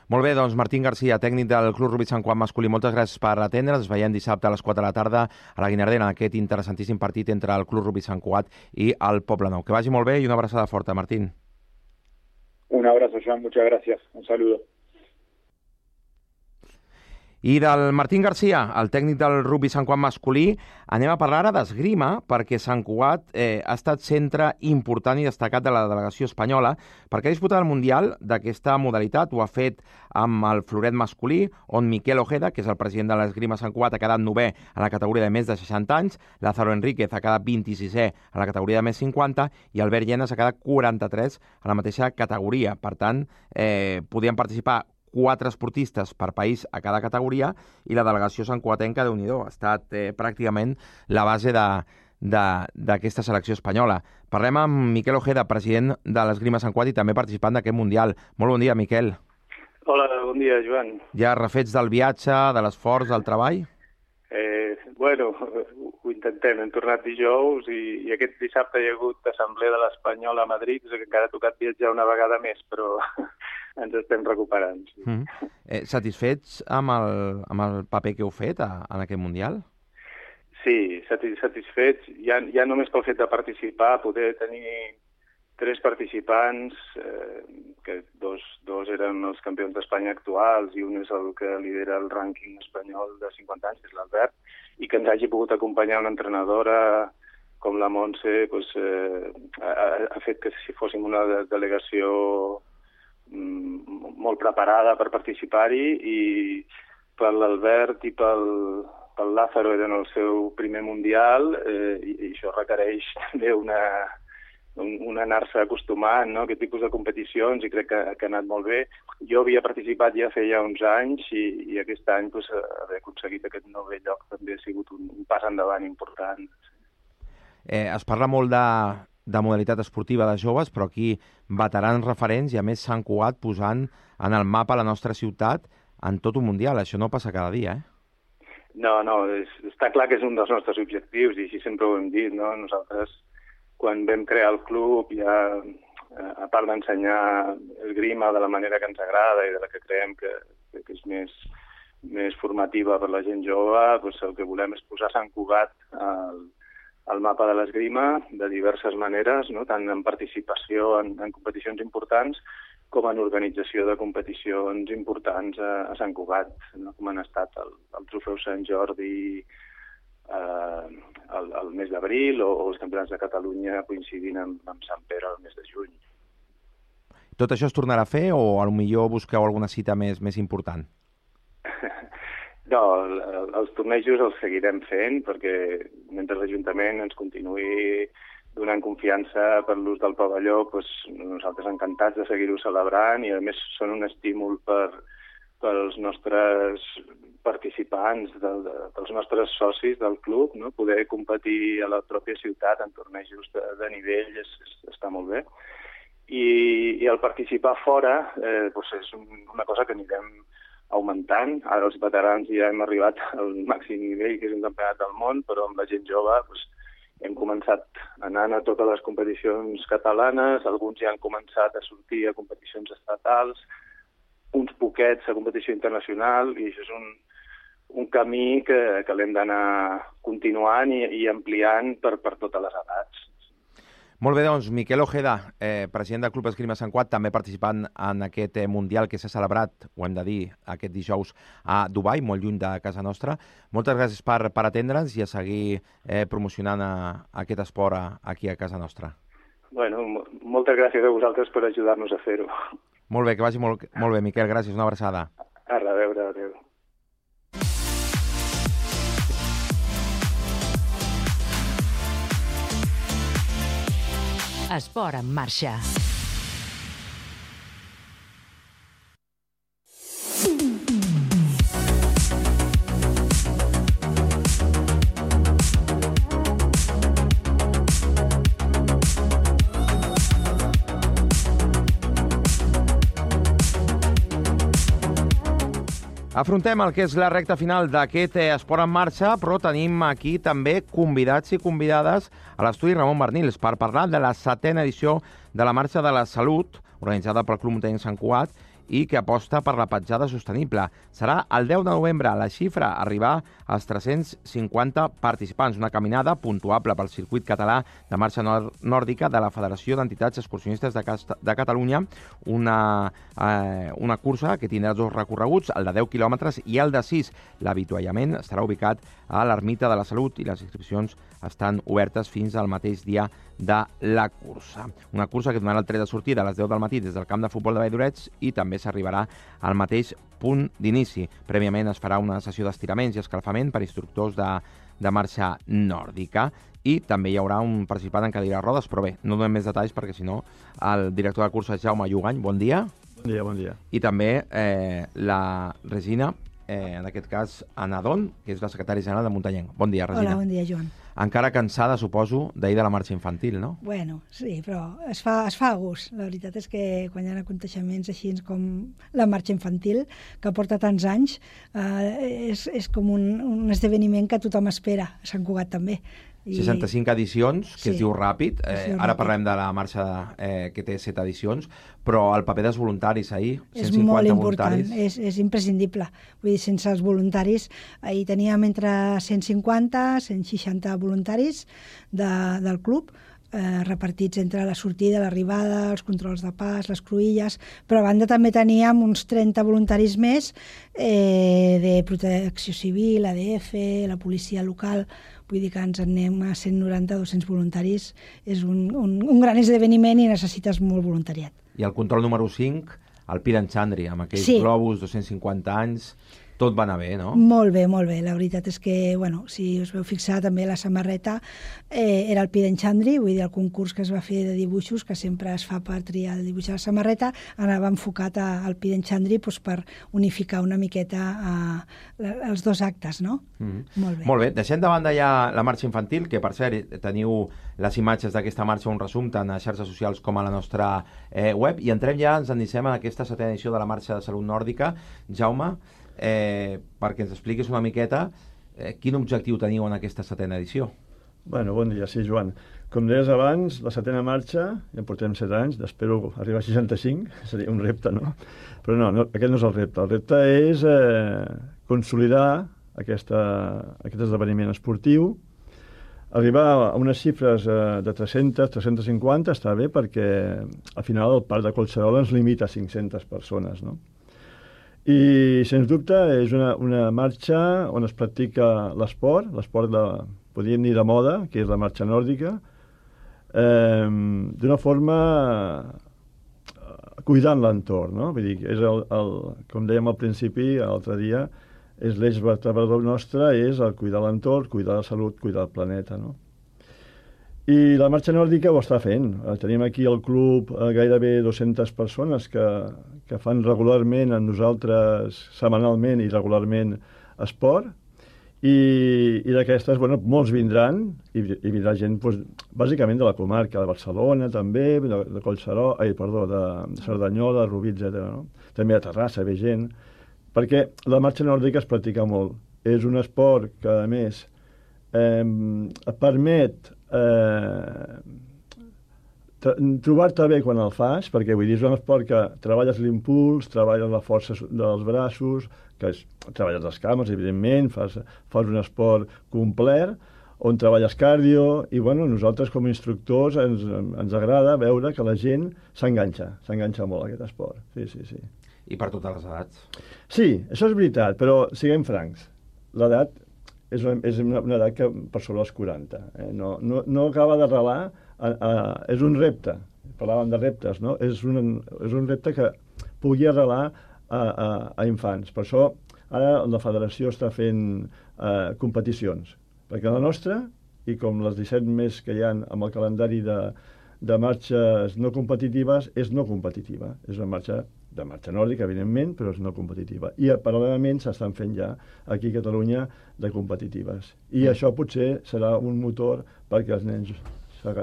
Molt bé, doncs Martín García, tècnic del Club Rugby Sant Cugat masculí, moltes gràcies per atendre'ns. Ens veiem dissabte a les 4 de la tarda a la Guinardera en aquest interessantíssim partit entre el Club Rugby Sant Cugat i el Poblenou. Que vagi molt bé i una abraçada forta, Martín. Un abrazo, Joan, muchas gracias. Un saludo. I del Martín García, el tècnic del Rugby Sant Cugat masculí, anem a parlar ara d'esgrima, perquè Sant Cugat ha estat centre important i destacat de la delegació espanyola, perquè ha disputat el Mundial d'aquesta modalitat. Ho ha fet amb el floret masculí, on Miquel Ojeda, que és el president de l'esgrima Sant Cugat, ha quedat 9è a la categoria de més de 60 anys, Lázaro Enríquez ha quedat 26è a la categoria de més 50 i Albert Llenas ha quedat 43 a la mateixa categoria. Per tant, podien participar 4 esportistes per país a cada categoria i la delegació santcugatenca, Déu-n'hi-do, ha estat pràcticament la base d'aquesta selecció espanyola. Parlem amb Miquel Ojeda, president de l'Esgrima Sant Cugat i també participant d'aquest Mundial. Molt bon dia, Miquel. Hola, bon dia, Joan. Ja refets del viatge, de l'esforç, del treball? Bueno, ho intentem. Hem tornat dijous i aquest dissabte hi ha hagut assemblea de l'Espanyol a Madrid, que encara ha tocat viatjar una vegada més, però ens estem recuperant. Sí. Satisfets amb el paper que heu fet en aquest Mundial? Sí, satisfets. Ja només pel fet de participar, poder tenir 3 participants, que dos eren els campions d'Espanya actuals i un és el que lidera el rànquing espanyol de 50 anys, que és l'Albert, i que ens hagi pogut acompanyar una entrenadora com la Montse, ha fet que si fóssim una delegació molt preparada per participar-hi, i per l'Albert i pel Lázaro eren el seu primer Mundial, i això requereix també un anar-se acostumant, no?, a aquest tipus de competicions, i crec que ha anat molt bé. Jo havia participat ja feia uns anys i aquest any haver aconseguit aquest 9è lloc també ha sigut un pas endavant important. Es parla molt de modalitat esportiva de joves, però aquí veterans referents i a més Sant Cugat posant en el mapa la nostra ciutat en tot un Mundial. Això no passa cada dia, No, està clar que és un dels nostres objectius i així sempre ho hem dit, no? Nosaltres, quan vam crear el club, ja, a part d'ensenyar esgrima de la manera que ens agrada i de la que creiem que és més formativa per la gent jove, doncs el que volem és posar Sant Cugat al mapa de l'esgrima de diverses maneres, no? Tant en participació en competicions importants com en organització de competicions importants a Sant Cugat, no? Com han estat el Trofeu Sant Jordi el mes d'abril o els campionats de Catalunya coincidint amb Sant Pere el mes de juny. Tot això es tornarà a fer o potser busqueu alguna cita més important? No, els tornejos els seguirem fent perquè mentre l'Ajuntament ens continuï donant confiança per l'ús del pavelló, doncs nosaltres encantats de seguir-ho celebrant i a més són un estímul pels nostres participants, dels nostres socis del club, no? Poder competir a la pròpia ciutat en tornejos de nivell està molt bé. I el participar fora doncs és una cosa que anirem augmentant. Ara els veterans ja hem arribat al màxim nivell, que és un campionat del món, però amb la gent jove doncs, hem començat anant a totes les competicions catalanes, alguns ja han començat a sortir a competicions estatals, uns poquets a competició internacional, i això és un camí que l'hem d'anar continuant i ampliant per totes les edats. Molt bé, doncs, Miquel Ojeda, president del Club Esgrima Sant Cugat, també participant en aquest Mundial que s'ha celebrat, ho hem de dir, aquest dijous a Dubai, molt lluny de casa nostra. Moltes gràcies per atendre'ns i a seguir promocionant aquest esport aquí a casa nostra. Bueno, moltes gràcies a vosaltres per ajudar-nos a fer-ho. Molt bé, que vagi molt bé, Miquel, gràcies, una abraçada. A reveure, adéu. Esport en marxa. Afrontem el que és la recta final d'aquest Esport en marxa, però tenim aquí també convidats i convidades a l'estudi Ramon Bernils per parlar de la 7ª edició de la Marxa de la Salut, organitzada pel Club Muntanyenc Sant Cugat, i que aposta per la petjada sostenible. Serà el 10 de novembre. La xifra arribar als 350 participants. Una caminada puntuable pel circuit català de marxa nòrdica de la Federació d'Entitats Excursionistes de Catalunya. Una cursa que tindrà 2 recorreguts, el de 10 quilòmetres i el de 6. L'avituallament estarà ubicat a l'Ermita de la Salut i les inscripcions estan obertes fins al mateix dia de la cursa. Una cursa que donarà el tret de sortida a les 10 del matí des del camp de futbol de Valldorets i també s'arribarà al mateix punt d'inici. Prèviament es farà una sessió d'estiraments i escalfament per instructors de marxa nòrdica i també hi haurà un participant en cadira de rodes, però bé, no donem més detalls perquè si no el director de cursa és Jaume Llugany. Bon dia. Bon dia, bon dia. I també la Regina, en aquest cas Anna Don, que és la secretària general de Muntanyenc. Bon dia, Regina. Hola, bon dia, Joan. Encara cansada, suposo, d'ahir de la marxa infantil, no? Bueno, sí, però es fa a gust. La veritat és que quan hi ha aconteixements així com la marxa infantil, que porta tants anys, és com un esdeveniment que tothom espera, a Sant Cugat també. 65 edicions, que es diu ràpid. Ara parlem de la marxa que té 7 edicions, però el paper dels voluntaris ahir, 150 és molt important, voluntaris. és imprescindible. Vull dir, sense els voluntaris, ahir teníem entre 150 160 voluntaris del club, repartits entre la sortida, l'arribada, els controls de pas, les cruïlles, però a banda també teníem uns 30 voluntaris més de protecció civil, ADF, la policia local. Vull dir que ens en anem a 190-200 voluntaris. És un gran esdeveniment i necessites molt voluntariat. I el control número 5, el Pir en Xandri, amb aquells globus, 250 anys, tot va anar bé, no? Molt bé, molt bé. La veritat és que, bueno, si us veu fixar, també la samarreta era el Pir en Xandri, vull dir, el concurs que es va fer de dibuixos, que sempre es fa per triar el dibuix de la samarreta, anava enfocat al Pir en Xandri per unificar una miqueta els 2 actes, no? Molt bé. Molt bé. Deixem de banda ja la marxa infantil, que per cert teniu les imatges d'aquesta marxa, un resum tant a xarxes socials com a la nostra web, i entrem ja, ens endicem en aquesta 7ª edició de la Marxa de Salut Nòrdica. Jaume, perquè ens expliquis una miqueta quin objectiu teniu en aquesta 7ª edició. Bueno, bon dia, sí, Joan. Com deies abans, la 7ª marxa, ja portem 7 anys, espero arribar a 65, seria un repte, no? Però no, aquest no és el repte. El repte és consolidar aquest esdeveniment esportiu, arribar a unes xifres de 300, 350 està bé perquè al final el parc de Collserola ens limita a 500 persones, no? I, sens dubte, és una marxa on es practica l'esport podríem dir de moda, que és la marxa nòrdica, d'una forma cuidant l'entorn, no? Vull dir, és com dèiem al principi, l'altre dia, és l'eix vertebrador nostre, és el cuidar l'entorn, cuidar la salut, cuidar el planeta, no? I la marxa nòrdica ho està fent. Tenim aquí al club gairebé 200 persones que fan regularment amb nosaltres, setmanalment i regularment, esport, i d'aquestes, bueno, molts vindran, i vindrà gent, doncs, bàsicament de la comarca, de Barcelona també, de Collserola, de Cerdanyola, de Rubí, etc. No? També a Terrassa ve gent, perquè la marxa nòrdica es practica molt. És un esport que, a més, et permet trobar-te bé quan el fas, perquè vull dir, és un esport que treballes l'impuls, treballes la força dels braços, treballes les cames, evidentment, fas un esport complet, on treballes cardio, i bueno, nosaltres com a instructors ens agrada veure que la gent s'enganxa molt a aquest esport. Sí. I per totes les edats? Sí, això és veritat, però siguem francs. L'edat és una edat que per sobre els 40. No acaba d'arrelar, és un repte. Parlàvem de reptes, no? És un repte que pugui arrelar a infants. Per això ara la federació està fent competicions. Perquè la nostra, i com les 17 més que hi ha amb el calendari de marxes no competitives, és no competitiva. És una marxa de marxa nòrdica, evidentment, però és no competitiva. I paral·lelament s'estan fent ja aquí a Catalunya de competitives. I això potser serà un motor perquè els nens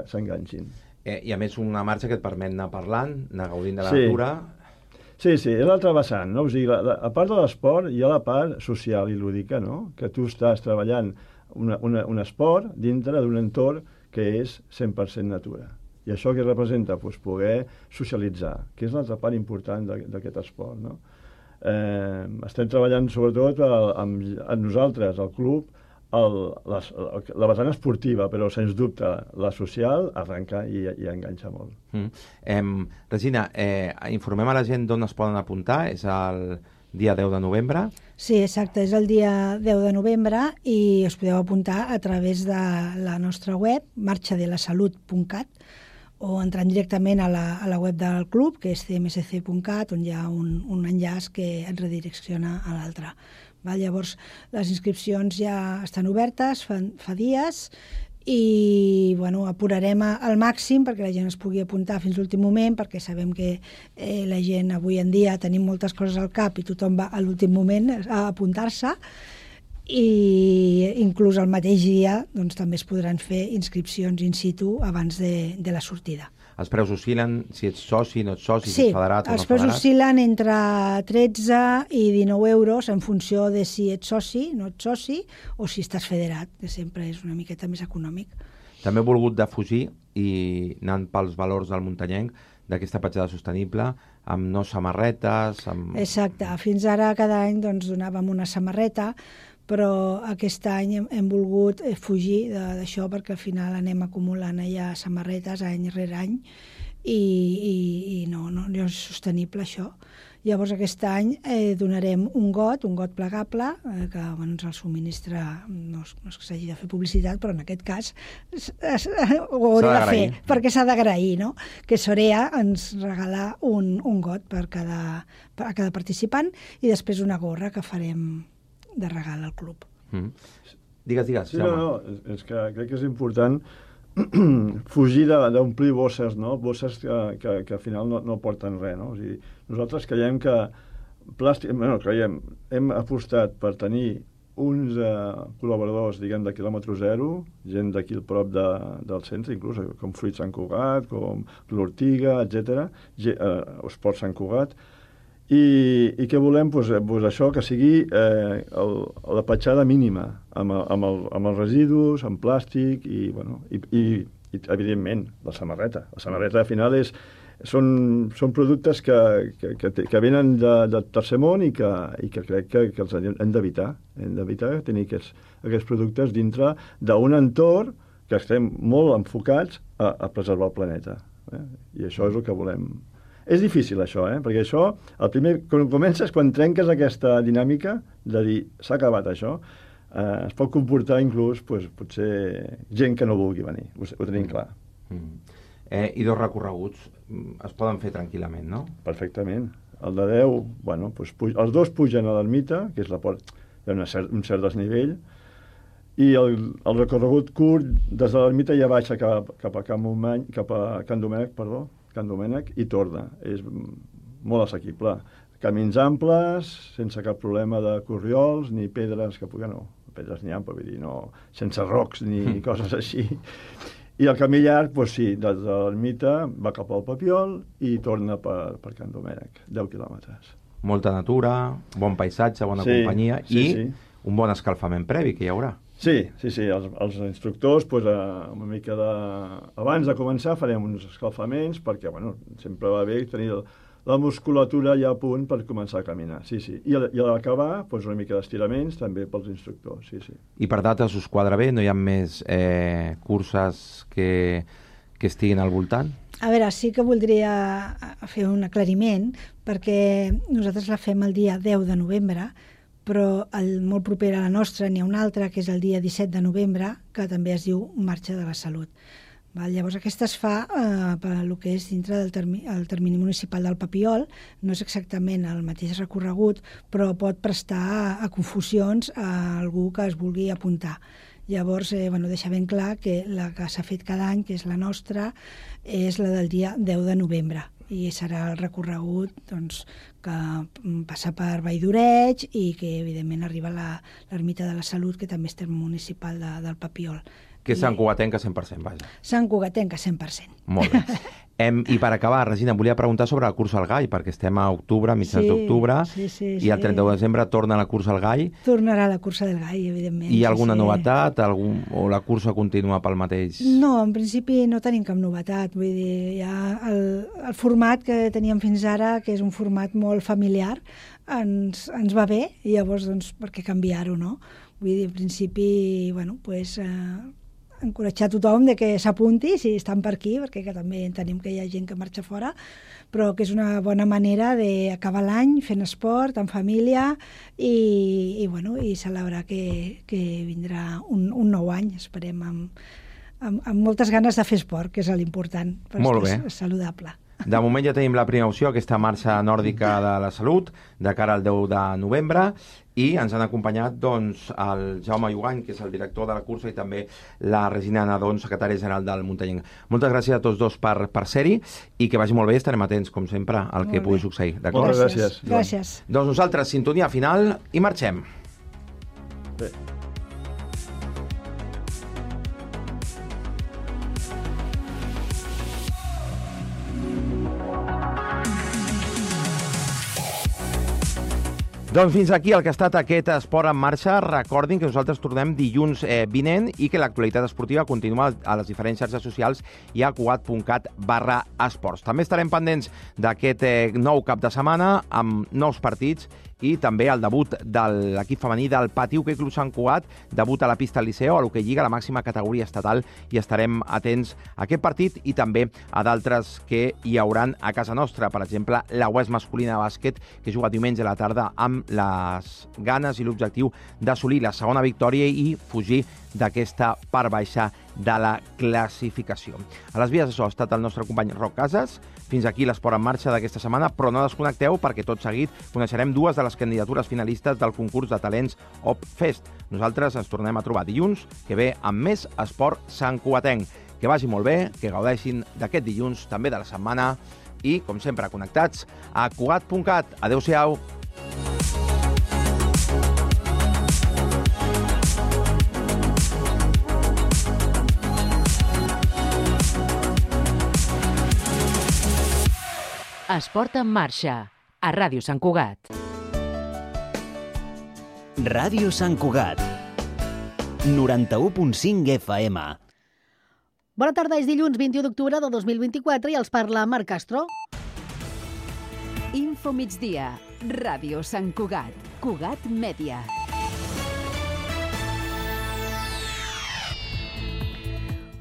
s'enganxin. I a més una marxa que et permet anar parlant, anar gaudint de la natura. Sí, és l'altra vessant, no? O sigui, a part de l'esport hi ha la part social i lúdica, no? Que tu estàs treballant un esport dintre d'un entorn que és 100% natura. I això què representa? Doncs poder socialitzar, que és l'altra part important d'aquest esport, no? Estem treballant sobretot amb nosaltres, al club, la vessant esportiva, però sens dubte la social arrenca i enganxa molt. Regina, informem a la gent d'on es poden apuntar, és el dia 10 de novembre. Sí, exacte, és el dia 10 de novembre i us podeu apuntar a través de la nostra web, marxadelasalut.cat, o entrant directament a la web del club, que és cmsc.cat, on hi ha un enllaç que et redirecciona a l'altre. Llavors, les inscripcions ja estan obertes fa dies i apurarem al màxim perquè la gent es pugui apuntar fins l'últim moment, perquè sabem que la gent avui en dia tenim moltes coses al cap i tothom va a l'últim moment a apuntar-se, i inclús el mateix dia també es podran fer inscripcions in situ abans de la sortida. Els preus oscil·len, si ets soci, no ets soci, si ets federat o no federat? Sí, els preus oscil·len entre 13 i 19 euros en funció de si ets soci, no ets soci, o si estàs federat, que sempre és una miqueta més econòmic. També he volgut defugir, i anant pels valors del muntanyenc, d'aquesta petjada sostenible, amb no samarretes... Exacte, fins ara cada any donàvem una samarreta, però aquest any hem volgut fugir d'això perquè al final anem acumulant ja samarretes any rere any i no és sostenible això. Llavors aquest any donarem un got plegable que ens el subministra, no és que s'hagi de fer publicitat, però en aquest cas ho hauré de fer perquè s'ha d'agrair, no? Que Sorea ens regala un got per cada participant i després una gorra que farem de regal al club. Digues, sí, no, és que crec que és important fugir d'omplir bosses, no? Bosses que al final no porten res, no? O sigui, nosaltres creiem que hem apostat per tenir uns col·laboradors, diguem, de quilòmetre zero, gent d'aquí al prop del centre, inclús, com Fruit Sant Cugat, com l'Ortiga, etc., Esport Sant Cugat, i què volem? Doncs això, que sigui la petjada mínima, amb els residus, amb plàstic, i evidentment, la samarreta. La samarreta, al final, són productes que venen del tercer món i que crec que els hem d'evitar. Hem d'evitar tenir aquests productes dintre d'un entorn que estem molt enfocats a preservar el planeta. I això és el que volem. És difícil, això, perquè això, el primer, quan comences, quan trenques aquesta dinàmica de dir s'ha acabat això, es pot comportar inclús potser gent que no vulgui venir, ho tenim clar. I 2 recorreguts es poden fer tranquil·lament, no? Perfectament. El de 10, bueno, els 2 pugen a l'ermita, que és la porta, hi ha un cert desnivell, i el recorregut curt des de l'ermita ja baixa cap a Can Domènec i torna. És molt assequible. Camins amples, sense cap problema de corriols, ni pedres que puguen, no, pedres n'hi ha, però vull dir, no, sense rocs ni coses així. I el camí llarg, doncs sí, des de l'ermita va cap al Papiol i torna per Can Domènec, 10 quilòmetres. Molta natura, bon paisatge, bona companyia i un bon escalfament previ que hi haurà. Sí, els instructors, una mica abans de començar farem uns escalfaments perquè, sempre va bé tenir la musculatura ja a punt per començar a caminar, I a l'acabar, una mica d'estiraments també pels instructors, I per dates us quadra bé? No hi ha més curses que estiguin al voltant? A veure, sí que voldria fer un aclariment, perquè nosaltres la fem el dia 10 de novembre, però molt proper a la nostra n'hi ha una altra, que és el dia 17 de novembre, que també es diu Marxa de la Salut. Llavors aquesta es fa per el que és dintre del termini municipal del Papiol, no és exactament el mateix recorregut, però pot prestar a confusions a algú que es vulgui apuntar. Llavors, deixa ben clar que la que s'ha fet cada any, que és la nostra, és la del dia 10 de novembre. I serà el recorregut que passa per Vall d'Oreig i que, evidentment, arriba a l'Ermita de la Salut, que també és terme municipal del Papiol. Que és Sant Cugatenca 100%, vaja. Sant Cugatenca 100%. Molt bé. I per acabar, Regina, em volia preguntar sobre la cursa al Gall, perquè estem a octubre, mitjans d'octubre, i el 31 de desembre torna la cursa al Gall. Tornarà la cursa del Gall, evidentment. Hi ha alguna novetat o la cursa continua pel mateix? No, en principi no tenim cap novetat. Vull dir, ja el format que teníem fins ara, que és un format molt familiar, ens va bé, i llavors, per què canviar-ho, no? Vull dir, en principi, encoratjar tothom de que s'apunti si estan per aquí, perquè també tenim que hi ha gent que marxa fora, però que és una bona manera d'acabar l'any fent esport, en família i celebrar que vindrà un nou any, esperem, amb moltes ganes de fer esport, que és l'important, per estar saludable. De moment ja tenim la primera opció, aquesta marxa nòrdica de la salut, de cara al 10 de novembre, i ens han acompanyat el Jaume Iugany, que és el director de la cursa, i també la Regina Nadon, secretària general del Muntanyenc. Moltes gràcies a tots dos per ser-hi, i que vagi molt bé, estarem atents, com sempre, al que pugui succeir. Moltes gràcies. Gràcies. Doncs nosaltres, sintonia final, i marxem. Bé. Doncs fins aquí el que ha estat aquest Esport en Marxa. Recordin que nosaltres tornem dilluns vinent i que l'actualitat esportiva continua a les diferents xarxes socials i a cugat.cat/esports. També estarem pendents d'aquest nou cap de setmana amb nous partits i també el debut de l'equip femení del Pati Hoquei Club Sant Cugat, debut a la pista al Liceo, a l'Hoquei Lliga, la màxima categoria estatal, i estarem atents a aquest partit i també a d'altres que hi hauran a casa nostra. Per exemple, la UES masculina de bàsquet, que juga diumenge a la tarda amb les ganes i l'objectiu d'assolir la segona victòria i fugir d'aquesta part baixa de la classificació. A les vies això ha estat el nostre company Roc Casas. Fins aquí l'Esport en Marxa d'aquesta setmana, però no desconnecteu perquè tot seguit coneixerem dues de les candidatures finalistes del concurs de talents OpFest. Nosaltres ens tornem a trobar dilluns que ve amb més esport santcugatenc. Que vagi molt bé, que gaudeixin d'aquest dilluns, també de la setmana, i, com sempre, connectats a cugat.cat. Adéu-siau. Esport en Marxa, a Ràdio Sant Cugat. Ràdio Sant Cugat, 91.5 FM. Bona tarda, és dilluns 21 d'octubre de 2024 i els parla Marc Castro. Info migdia, Ràdio Sant Cugat, Cugat Mèdia.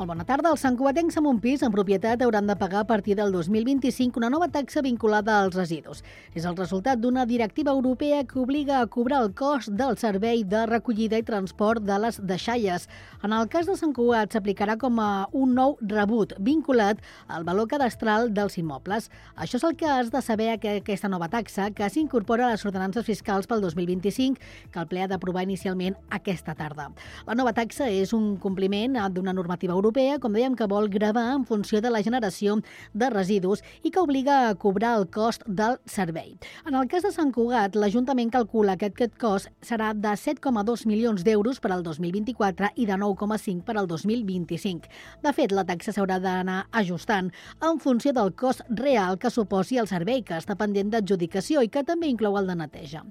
Molt bona tarda. Els santcugatencs amb un pis en propietat hauran de pagar a partir del 2025 una nova taxa vinculada als residus. És el resultat d'una directiva europea que obliga a cobrar el cost del servei de recollida i transport de les deixalles. En el cas de Sant Cugat s'aplicarà com a un nou rebut vinculat al valor cadastral dels immobles. Això és el que has de saber, que aquesta nova taxa, que s'incorpora a les ordenances fiscals pel 2025, que el ple ha d'aprovar inicialment aquesta tarda. La nova taxa és un compliment d'una normativa europea, com dèiem, que vol gravar en funció de la generació de residus i que obliga a cobrar el cost del servei. En el cas de Sant Cugat, l'Ajuntament calcula que aquest cost serà de 7,2 milions d'euros per al 2024 i de 9,5 per al 2025. De fet, la taxa s'haurà d'anar ajustant en funció del cost real que suposi el servei, que està pendent d'adjudicació i que també inclou el de neteja.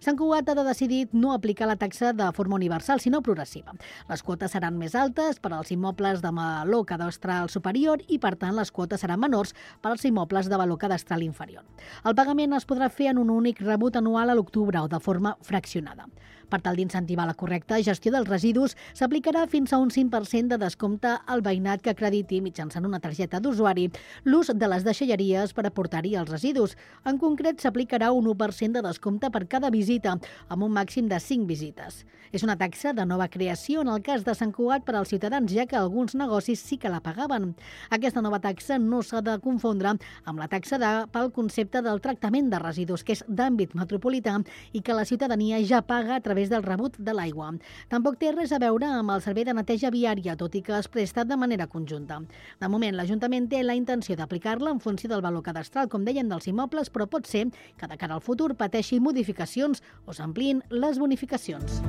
Sant Cugat ha decidit no aplicar la taxa de forma universal, sinó progressiva. Les quotes seran més altes per als immobles de valor cadastral superior i, per tant, les quotes seran menors per als immobles de valor cadastral inferior. El pagament es podrà fer en un únic rebut anual a l'octubre o de forma fraccionada. Per tal d'incentivar la correcta gestió dels residus, s'aplicarà fins a un 5% de descompte al veïnat que acrediti mitjançant una targeta d'usuari l'ús de les deixalleries per aportar-hi els residus. En concret, s'aplicarà un 1% de descompte per cada visita, amb un màxim de 5 visites. És una taxa de nova creació en el cas de Sant Cugat per als ciutadans, ja que alguns negocis sí que la pagaven. Aquesta nova taxa no s'ha de confondre amb la taxa pel concepte del tractament de residus, que és d'àmbit metropolità i que la ciutadania ja paga a través del rebut de l'aigua. Tampoc té res a veure amb el servei de neteja viària, tot i que es presta de manera conjunta. De moment, l'Ajuntament té la intenció d'aplicar-la en funció del valor cadastral, com dèiem, dels immobles, però pot ser que de cara al futur pateixi modificacions o s'ampliïn les bonificacions.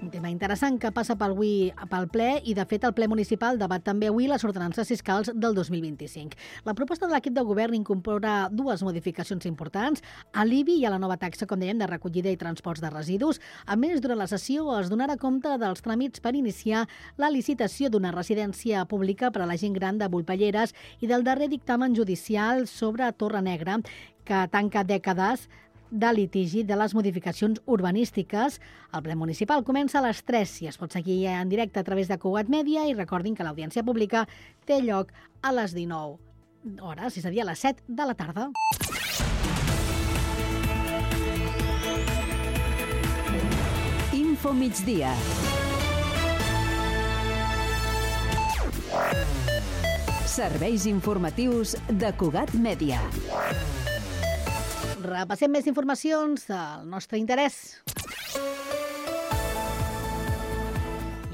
Un tema interessant que passa pel ple i, de fet, el ple municipal debat també avui les ordenances fiscals del 2025. La proposta de l'equip de govern incorpora dues modificacions importants, a l'IBI i a la nova taxa, com dèiem, de recollida i transports de residus. A més, durant la sessió es donarà compte dels tràmits per iniciar la licitació d'una residència pública per a la gent gran de Volpelleres i del darrer dictamen judicial sobre Torre Negra, que tanca dècades de litigi de les modificacions urbanístiques. El ple municipal comença a les 3 i es pot seguir en directe a través de Cugat Mèdia, i recordin que l'audiència pública té lloc a les 19 hores, és a dir, a les 7 de la tarda. Info migdia. Serveis informatius de Cugat Mèdia. Repassem més informacions del nostre interès.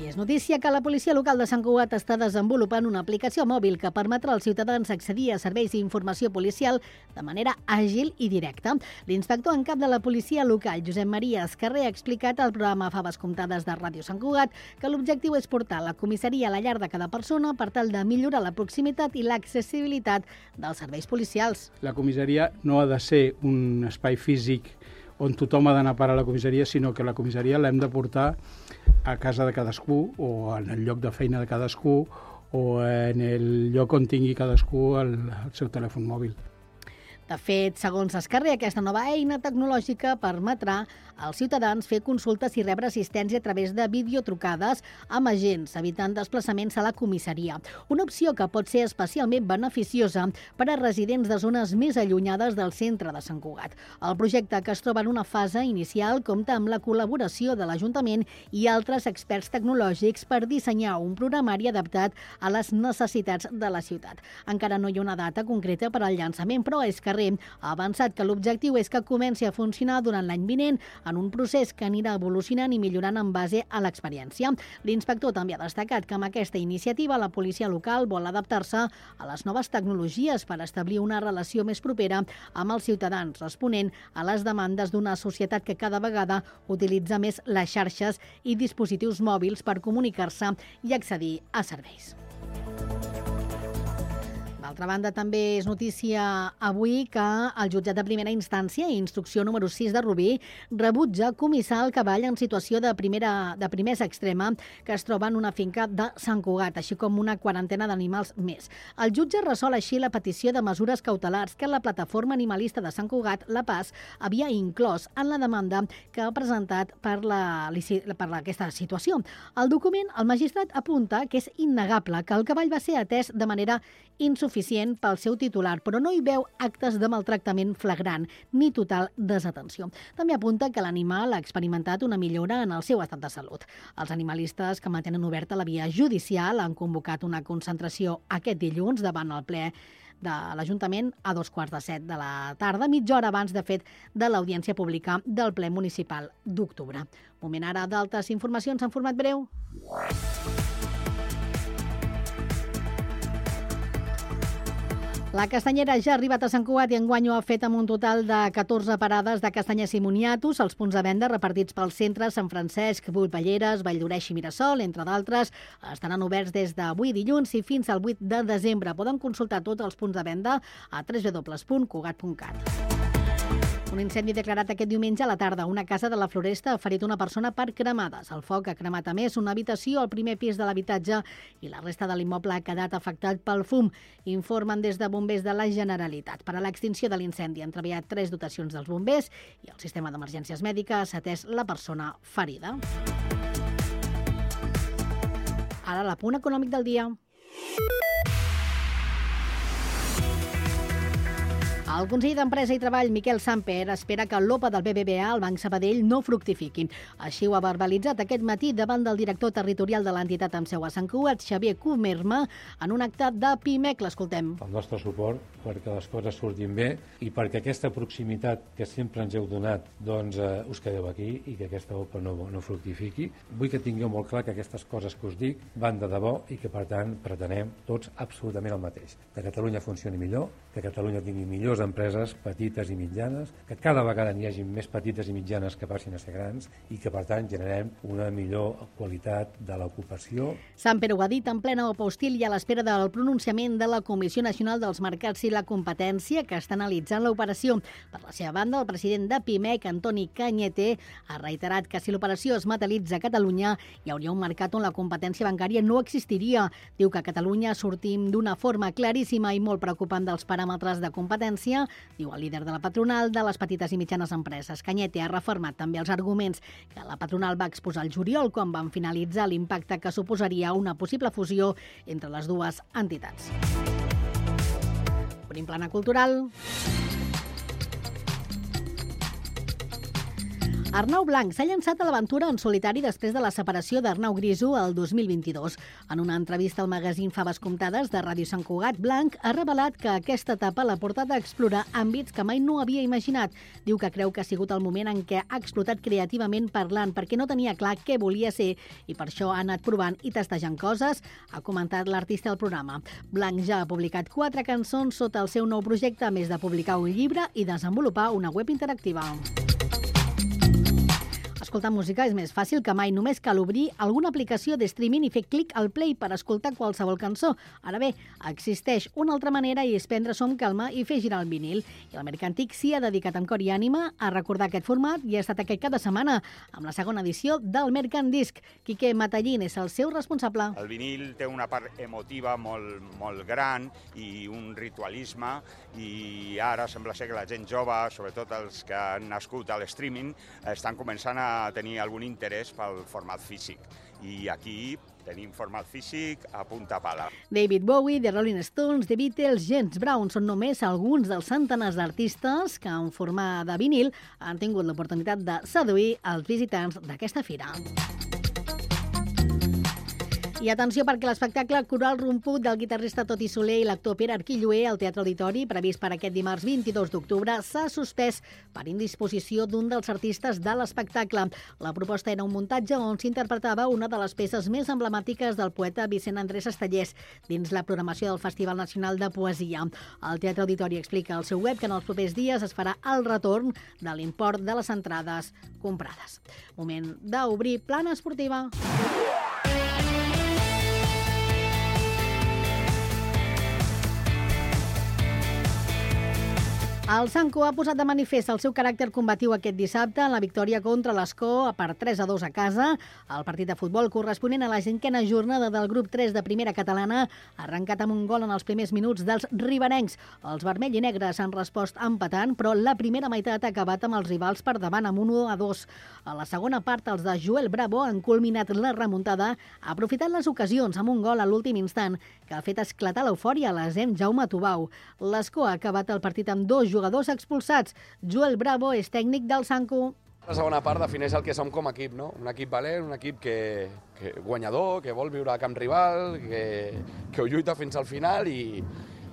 I és notícia que la policia local de Sant Cugat està desenvolupant una aplicació mòbil que permetrà als ciutadans accedir a serveis d'informació policial de manera àgil i directa. L'inspector en cap de la policia local, Josep Maria Escarrer, ha explicat al programa Faves Comptades de Ràdio Sant Cugat que l'objectiu és portar la comissaria a la llar de cada persona per tal de millorar la proximitat i l'accessibilitat dels serveis policials. La comissaria no ha de ser un espai físic on tothom ha d'anar a parar a la comissaria, sinó que la comissaria l'hem de portar a casa de cadascú o en el lloc de feina de cadascú o en el lloc on tingui cadascú el seu telèfon mòbil. De fet, segons Escarrer, aquesta nova eina tecnològica permetrà als ciutadans fer consultes i rebre assistència a través de videotrucades amb agents, evitant desplaçaments a la comissaria. Una opció que pot ser especialment beneficiosa per a residents de zones més allunyades del centre de Sant Cugat. El projecte, que es troba en una fase inicial, compta amb la col·laboració de l'Ajuntament i altres experts tecnològics per dissenyar un programari adaptat a les necessitats de la ciutat. Encara no hi ha una data concreta per al llançament, però Escarrer ha avançat que l'objectiu és que comenci a funcionar durant l'any vinent, en un procés que anirà evolucionant i millorant en base a l'experiència. L'inspector també ha destacat que amb aquesta iniciativa la policia local vol adaptar-se a les noves tecnologies per establir una relació més propera amb els ciutadans, responent a les demandes d'una societat que cada vegada utilitza més les xarxes i dispositius mòbils per comunicar-se i accedir a serveis. D'altra banda, també és notícia avui que el jutjat de primera instància, instrucció número 6 de Rubí, rebutja comissar el cavall en situació de primesa extrema que es troba en una finca de Sant Cugat, així com una quarantena d'animals més. El jutge resol així la petició de mesures cautelars que la plataforma animalista de Sant Cugat, La Paz, havia inclòs en la demanda que ha presentat per aquesta situació. Al document, el magistrat apunta que és innegable que el cavall va ser atès de manera insuficient pel seu titular, però no hi veu actes de maltractament flagrant ni total desatenció. També apunta que l'animal ha experimentat una millora en el seu estat de salut. Els animalistes que mantenen oberta la via judicial han convocat una concentració aquest dilluns davant el ple de l'Ajuntament a 7:15 de la tarda, mitja hora abans, de fet, de l'audiència pública del ple municipal d'octubre. Moment ara d'altres informacions en format breu. La castanyera ja ha arribat a Sant Cugat i enguany ho ha fet amb un total de 14 parades de castanyes i moniatos. Els punts de venda repartits pels centres Sant Francesc, Volpelleres, Valldoreix i Mirasol, entre d'altres, estaran oberts des d'avui dilluns i fins al 8 de desembre. Poden consultar tots els punts de venda a www.cugat.cat. Un incendi declarat aquest diumenge a la tarda. Una casa de la Floresta ha ferit una persona per cremades. El foc ha cremat a més una habitació al primer pis de l'habitatge i la resta de l'immoble ha quedat afectat pel fum. Informen des de bombers de la Generalitat. Per a l'extinció de l'incendi han treballat 3 dotacions dels bombers i el sistema d'emergències mèdiques ha atès la persona ferida. Ara l'apunt econòmic del dia. El conseller d'Empresa i Treball, Miquel Samper, espera que l'OPA del BBVA al Banc Sabadell no fructifiqui. Així ho ha verbalitzat aquest matí davant del director territorial de l'entitat amb seu a Sant Cugat, Xavier Comerma, en un acte de PIMEC. L'escoltem. El nostre suport perquè les coses surtin bé i perquè aquesta proximitat que sempre ens heu donat doncs us quedeu aquí i que aquesta OPA no fructifiqui. Vull que tingueu molt clar que aquestes coses que us dic van de debò i que, per tant, pretenem tots absolutament el mateix. Que Catalunya funcioni millor, que Catalunya tingui millors empreses petites i mitjanes, que cada vegada n'hi hagi més petites i mitjanes que passin a ser grans i que, per tant, generem una millor qualitat de l'ocupació. Samper ho ha dit en plena OPA hostil i a l'espera del pronunciament de la Comissió Nacional dels Mercats i la Competència, que està analitzant l'operació. Per la seva banda, el president de PIMEC, Antoni Cañete, ha reiterat que si l'operació es materialitza a Catalunya, hi hauria un mercat on la competència bancària no existiria. Diu que a Catalunya sortim d'una forma claríssima i molt preocupant dels paràmetres de competència, diu el líder de la patronal de les petites i mitjanes empreses. Cañete ha refermat també els arguments que la patronal va exposar el juliol quan van finalitzar l'impacte que suposaria una possible fusió entre les dues entitats. Obrim plana cultural. Arnau Blanc s'ha llançat a l'aventura en solitari després de la separació d'Arnau Griso el 2022. En una entrevista al magazín Faves Comptades de Ràdio Sant Cugat, Blanc ha revelat que aquesta etapa l'ha portat a explorar àmbits que mai no havia imaginat. Diu que creu que ha sigut el moment en què ha explotat creativament parlant, perquè no tenia clar què volia ser i per això ha anat provant i testejant coses, ha comentat l'artista al programa. Blanc ja ha publicat 4 cançons sota el seu nou projecte, a més de publicar un llibre i desenvolupar una web interactiva. Escoltar música és més fàcil que mai. Només cal obrir alguna aplicació de streaming i fer clic al play per escoltar qualsevol cançó. Ara bé, existeix una altra manera i és prendre-s'ho amb calma i fer girar el vinil. I el Mercantic s'hi ha dedicat amb cor i ànima a recordar aquest format i ha estat aquest cap de setmana amb la segona edició del Mercandisc. Quique Matallín és el seu responsable. El vinil té una part emotiva molt gran i un ritualisme, i ara sembla ser que la gent jove, sobretot els que han nascut a l'streaming, estan començant a tenir algun interès pel format físic. I aquí tenim format físic a punta pala. David Bowie, The Rolling Stones, The Beatles, James Brown són només alguns dels centenars d'artistes que en forma de vinil han tingut l'oportunitat de seduir els visitants d'aquesta fira. I atenció perquè l'espectacle Coral Romput del guitarrista Toti Soler i l'actor Pere Arquilloé al Teatre Auditori, previst per aquest dimarts 22 d'octubre, s'ha suspès per indisposició d'un dels artistes de l'espectacle. La proposta era un muntatge on s'interpretava una de les peces més emblemàtiques del poeta Vicent Andrés Estellés dins la programació del Festival Nacional de Poesia. El Teatre Auditori explica al seu web que en els propers dies es farà el retorn de l'import de les entrades comprades. Moment d'obrir plana esportiva. El Sanco ha posat de manifest el seu caràcter combatiu aquest dissabte en la victòria contra l'Escó per 3-2 a casa. El partit de futbol corresponent a la 5a jornada del grup 3 de primera catalana ha arrencat amb un gol en els primers minuts dels riberencs. Els vermell i negres han respost empatant, però la primera meitat ha acabat amb els rivals per davant amb 1-2. A la segona part, els de Joel Bravo han culminat la remuntada, aprofitant les ocasions amb un gol a l'últim instant que ha fet esclatar l'eufòria a l'Asem Jaume Tubau. L'Escó ha acabat el partit amb 2 jugadors expulsats. Joel Bravo és tècnic del Sanco. La segona part defineix el que som com a equip, no? Un equip valent, un equip que guanyador, que vol viure a camp rival, que ho lluita fins al final i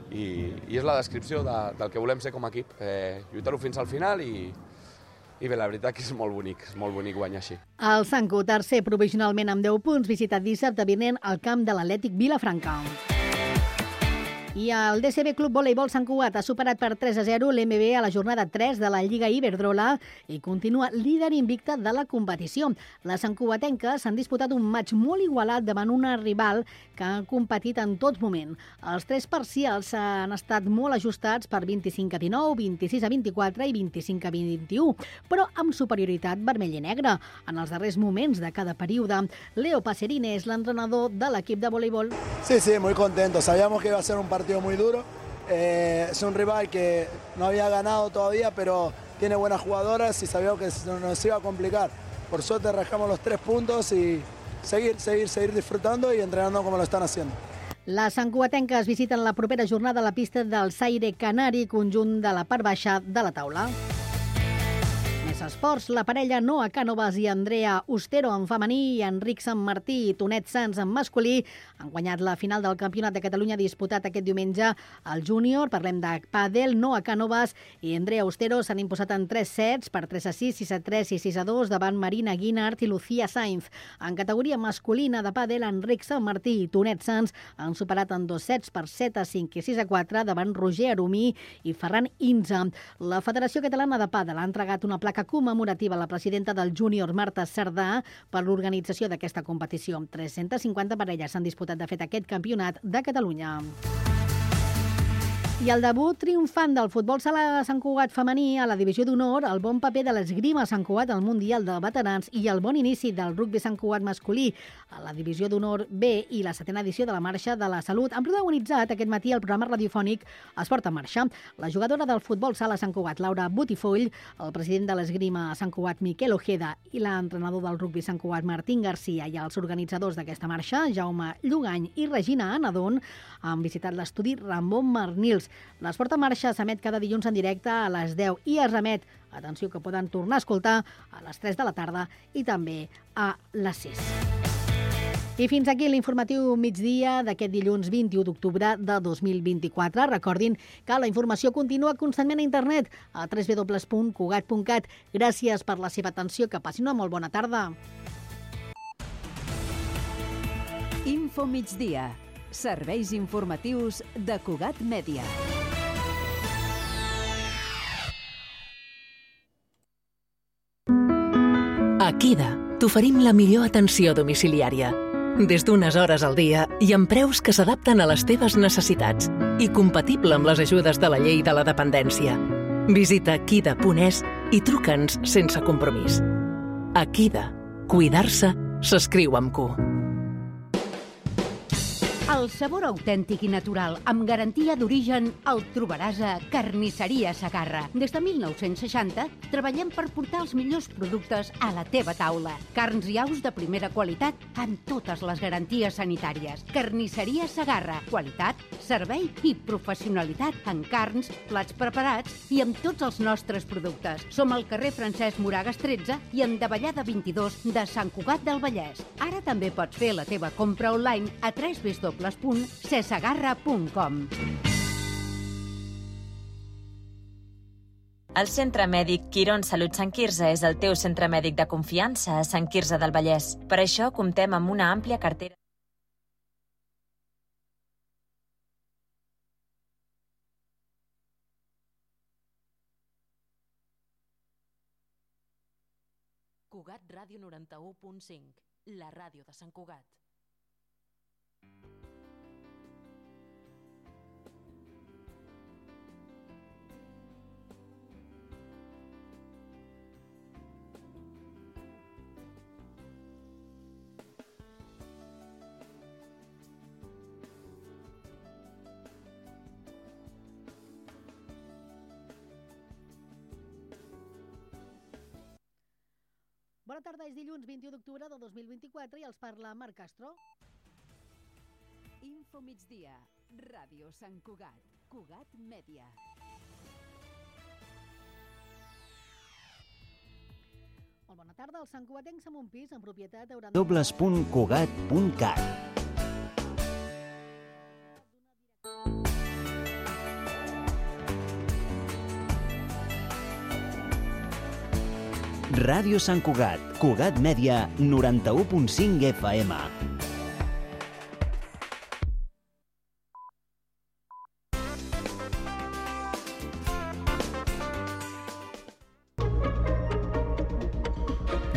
és la descripció del que volem ser com a equip. Lluitar-ho fins al final i bé, la veritat que és molt bonic guanyar així. El Sanco, tercer provisionalment amb 10 punts, visitat dissabte vinent al camp de l'Atlètic Vilafranca. I el DCB Club Voleibol Sant Cugat ha superat per 3-0 l'MB a la jornada 3 de la Lliga Iberdrola i continua líder invicta de la competició. Les santcugatenques s'han disputat un maig molt igualat davant una rival que ha competit en tot moment. Els 3 parcials han estat molt ajustats per 25-19, 26-24 i 25-21, però amb superioritat vermell i negre. En els darrers moments de cada període, Leo Passerine és l'entrenador de l'equip de voleibol. Sí, muy contento. Sabíamos que iba a ser un partido muy duro. Es un rival que no había ganado todavía, pero tiene buenas jugadoras y sabíamos que nos iba a complicar. Por suerte rascamos los 3 puntos y seguir disfrutando y entrenando como lo están haciendo. Les santcugatenques visiten la propera jornada a la pista del Saire Canari, conjunt de la part baixa de la taula. Més esports, la parella Noa Cànovas i Andrea Ustero en femení i Enric Sant Martí i Tonet Sans en masculí han guanyat la final del Campionat de Catalunya disputat aquest diumenge al júnior. Parlem de pàdel. Noa Cànovas i Andrea Ustero s'han imposat en 3 sets per 3-6, 6-3 i 6-2 davant Marina Guinart i Lucía Sainz. En categoria masculina de pàdel, Enric Sant Martí i Tonet Sans han superat en 2 sets per 7-5 i 6-4 davant Roger Arumí i Ferran Inza. La Federació Catalana de Pàdel ha entregat una placa commemorativa a la presidenta del júnior, Marta Cerdà, per l'organització d'aquesta competició. 350 parelles s'han disputat de fet aquest campionat de Catalunya. I el debut triomfant del futbol sala Sant Cugat femení a la divisió d'honor, el bon paper de l'esgrima Sant Cugat al Mundial de Veterans i el bon inici del rugbi Sant Cugat masculí a la divisió d'honor B i la 7a edició de la Marxa de la Salut han protagonitzat aquest matí el programa radiofònic Esport en Marxa. La jugadora del futbol sala Sant Cugat, Laura Butifoll, el president de l'esgrima Sant Cugat, Miquel Ojeda, i l'entrenador del rugbi Sant Cugat, Martín Garcia, i els organitzadors d'aquesta marxa, Jaume Llugany i Regina Anadon, han visitat l'estudi Ramon Marnils. L'Esport en Marxa s'emet cada dilluns en directe a les 10 i es remet, atenció, que poden tornar a escoltar a les 3 de la tarda i també a les 6. I fins aquí l'informatiu migdia d'aquest dilluns 21 d'octubre de 2024. Recordin que la informació continua constantment a internet a www.cugat.cat. Gràcies per la seva atenció, que passin una molt bona tarda. Info migdia. Serveis informatius de Cugat Mèdia. A Kida t'oferim la millor atenció domiciliària. Des d'unes hores al dia i amb preus que s'adapten a les teves necessitats i compatible amb les ajudes de la llei de la dependència. Visita kida.es i truca'ns sense compromís. A Kida, cuidar-se s'escriu amb Q. El sabor autèntic i natural, amb garantia d'origen, el trobaràs a Carnisseria Segarra. Des de 1960 treballem per portar els millors productes a la teva taula. Carns i aus de primera qualitat amb totes les garanties sanitàries. Carnisseria Segarra. Qualitat, servei i professionalitat en carns, plats preparats i amb tots els nostres productes. Som al carrer Francesc Moragas 13 i en Davallada 22 de Sant Cugat del Vallès. Ara també pots fer la teva compra online a www.cesegarra.com. El Centre Mèdic Quirón Salut Sant Quirze és el teu centre mèdic de confiança a Sant Quirze del Vallès. Per això comptem amb una àmplia cartera. Cugat Ràdio 91.5, la ràdio de Sant Cugat. Bona tarda, és dilluns 21 d'octubre del 2024 i els parla Marc Castro. Info migdia, Ràdio Sant Cugat, Cugat Mèdia. Molt bona tarda, els santcugatencs amb un pis en propietat hauran... www.cugat.cat. Ràdio Sant Cugat, Cugat Mèdia, 91.5 FM.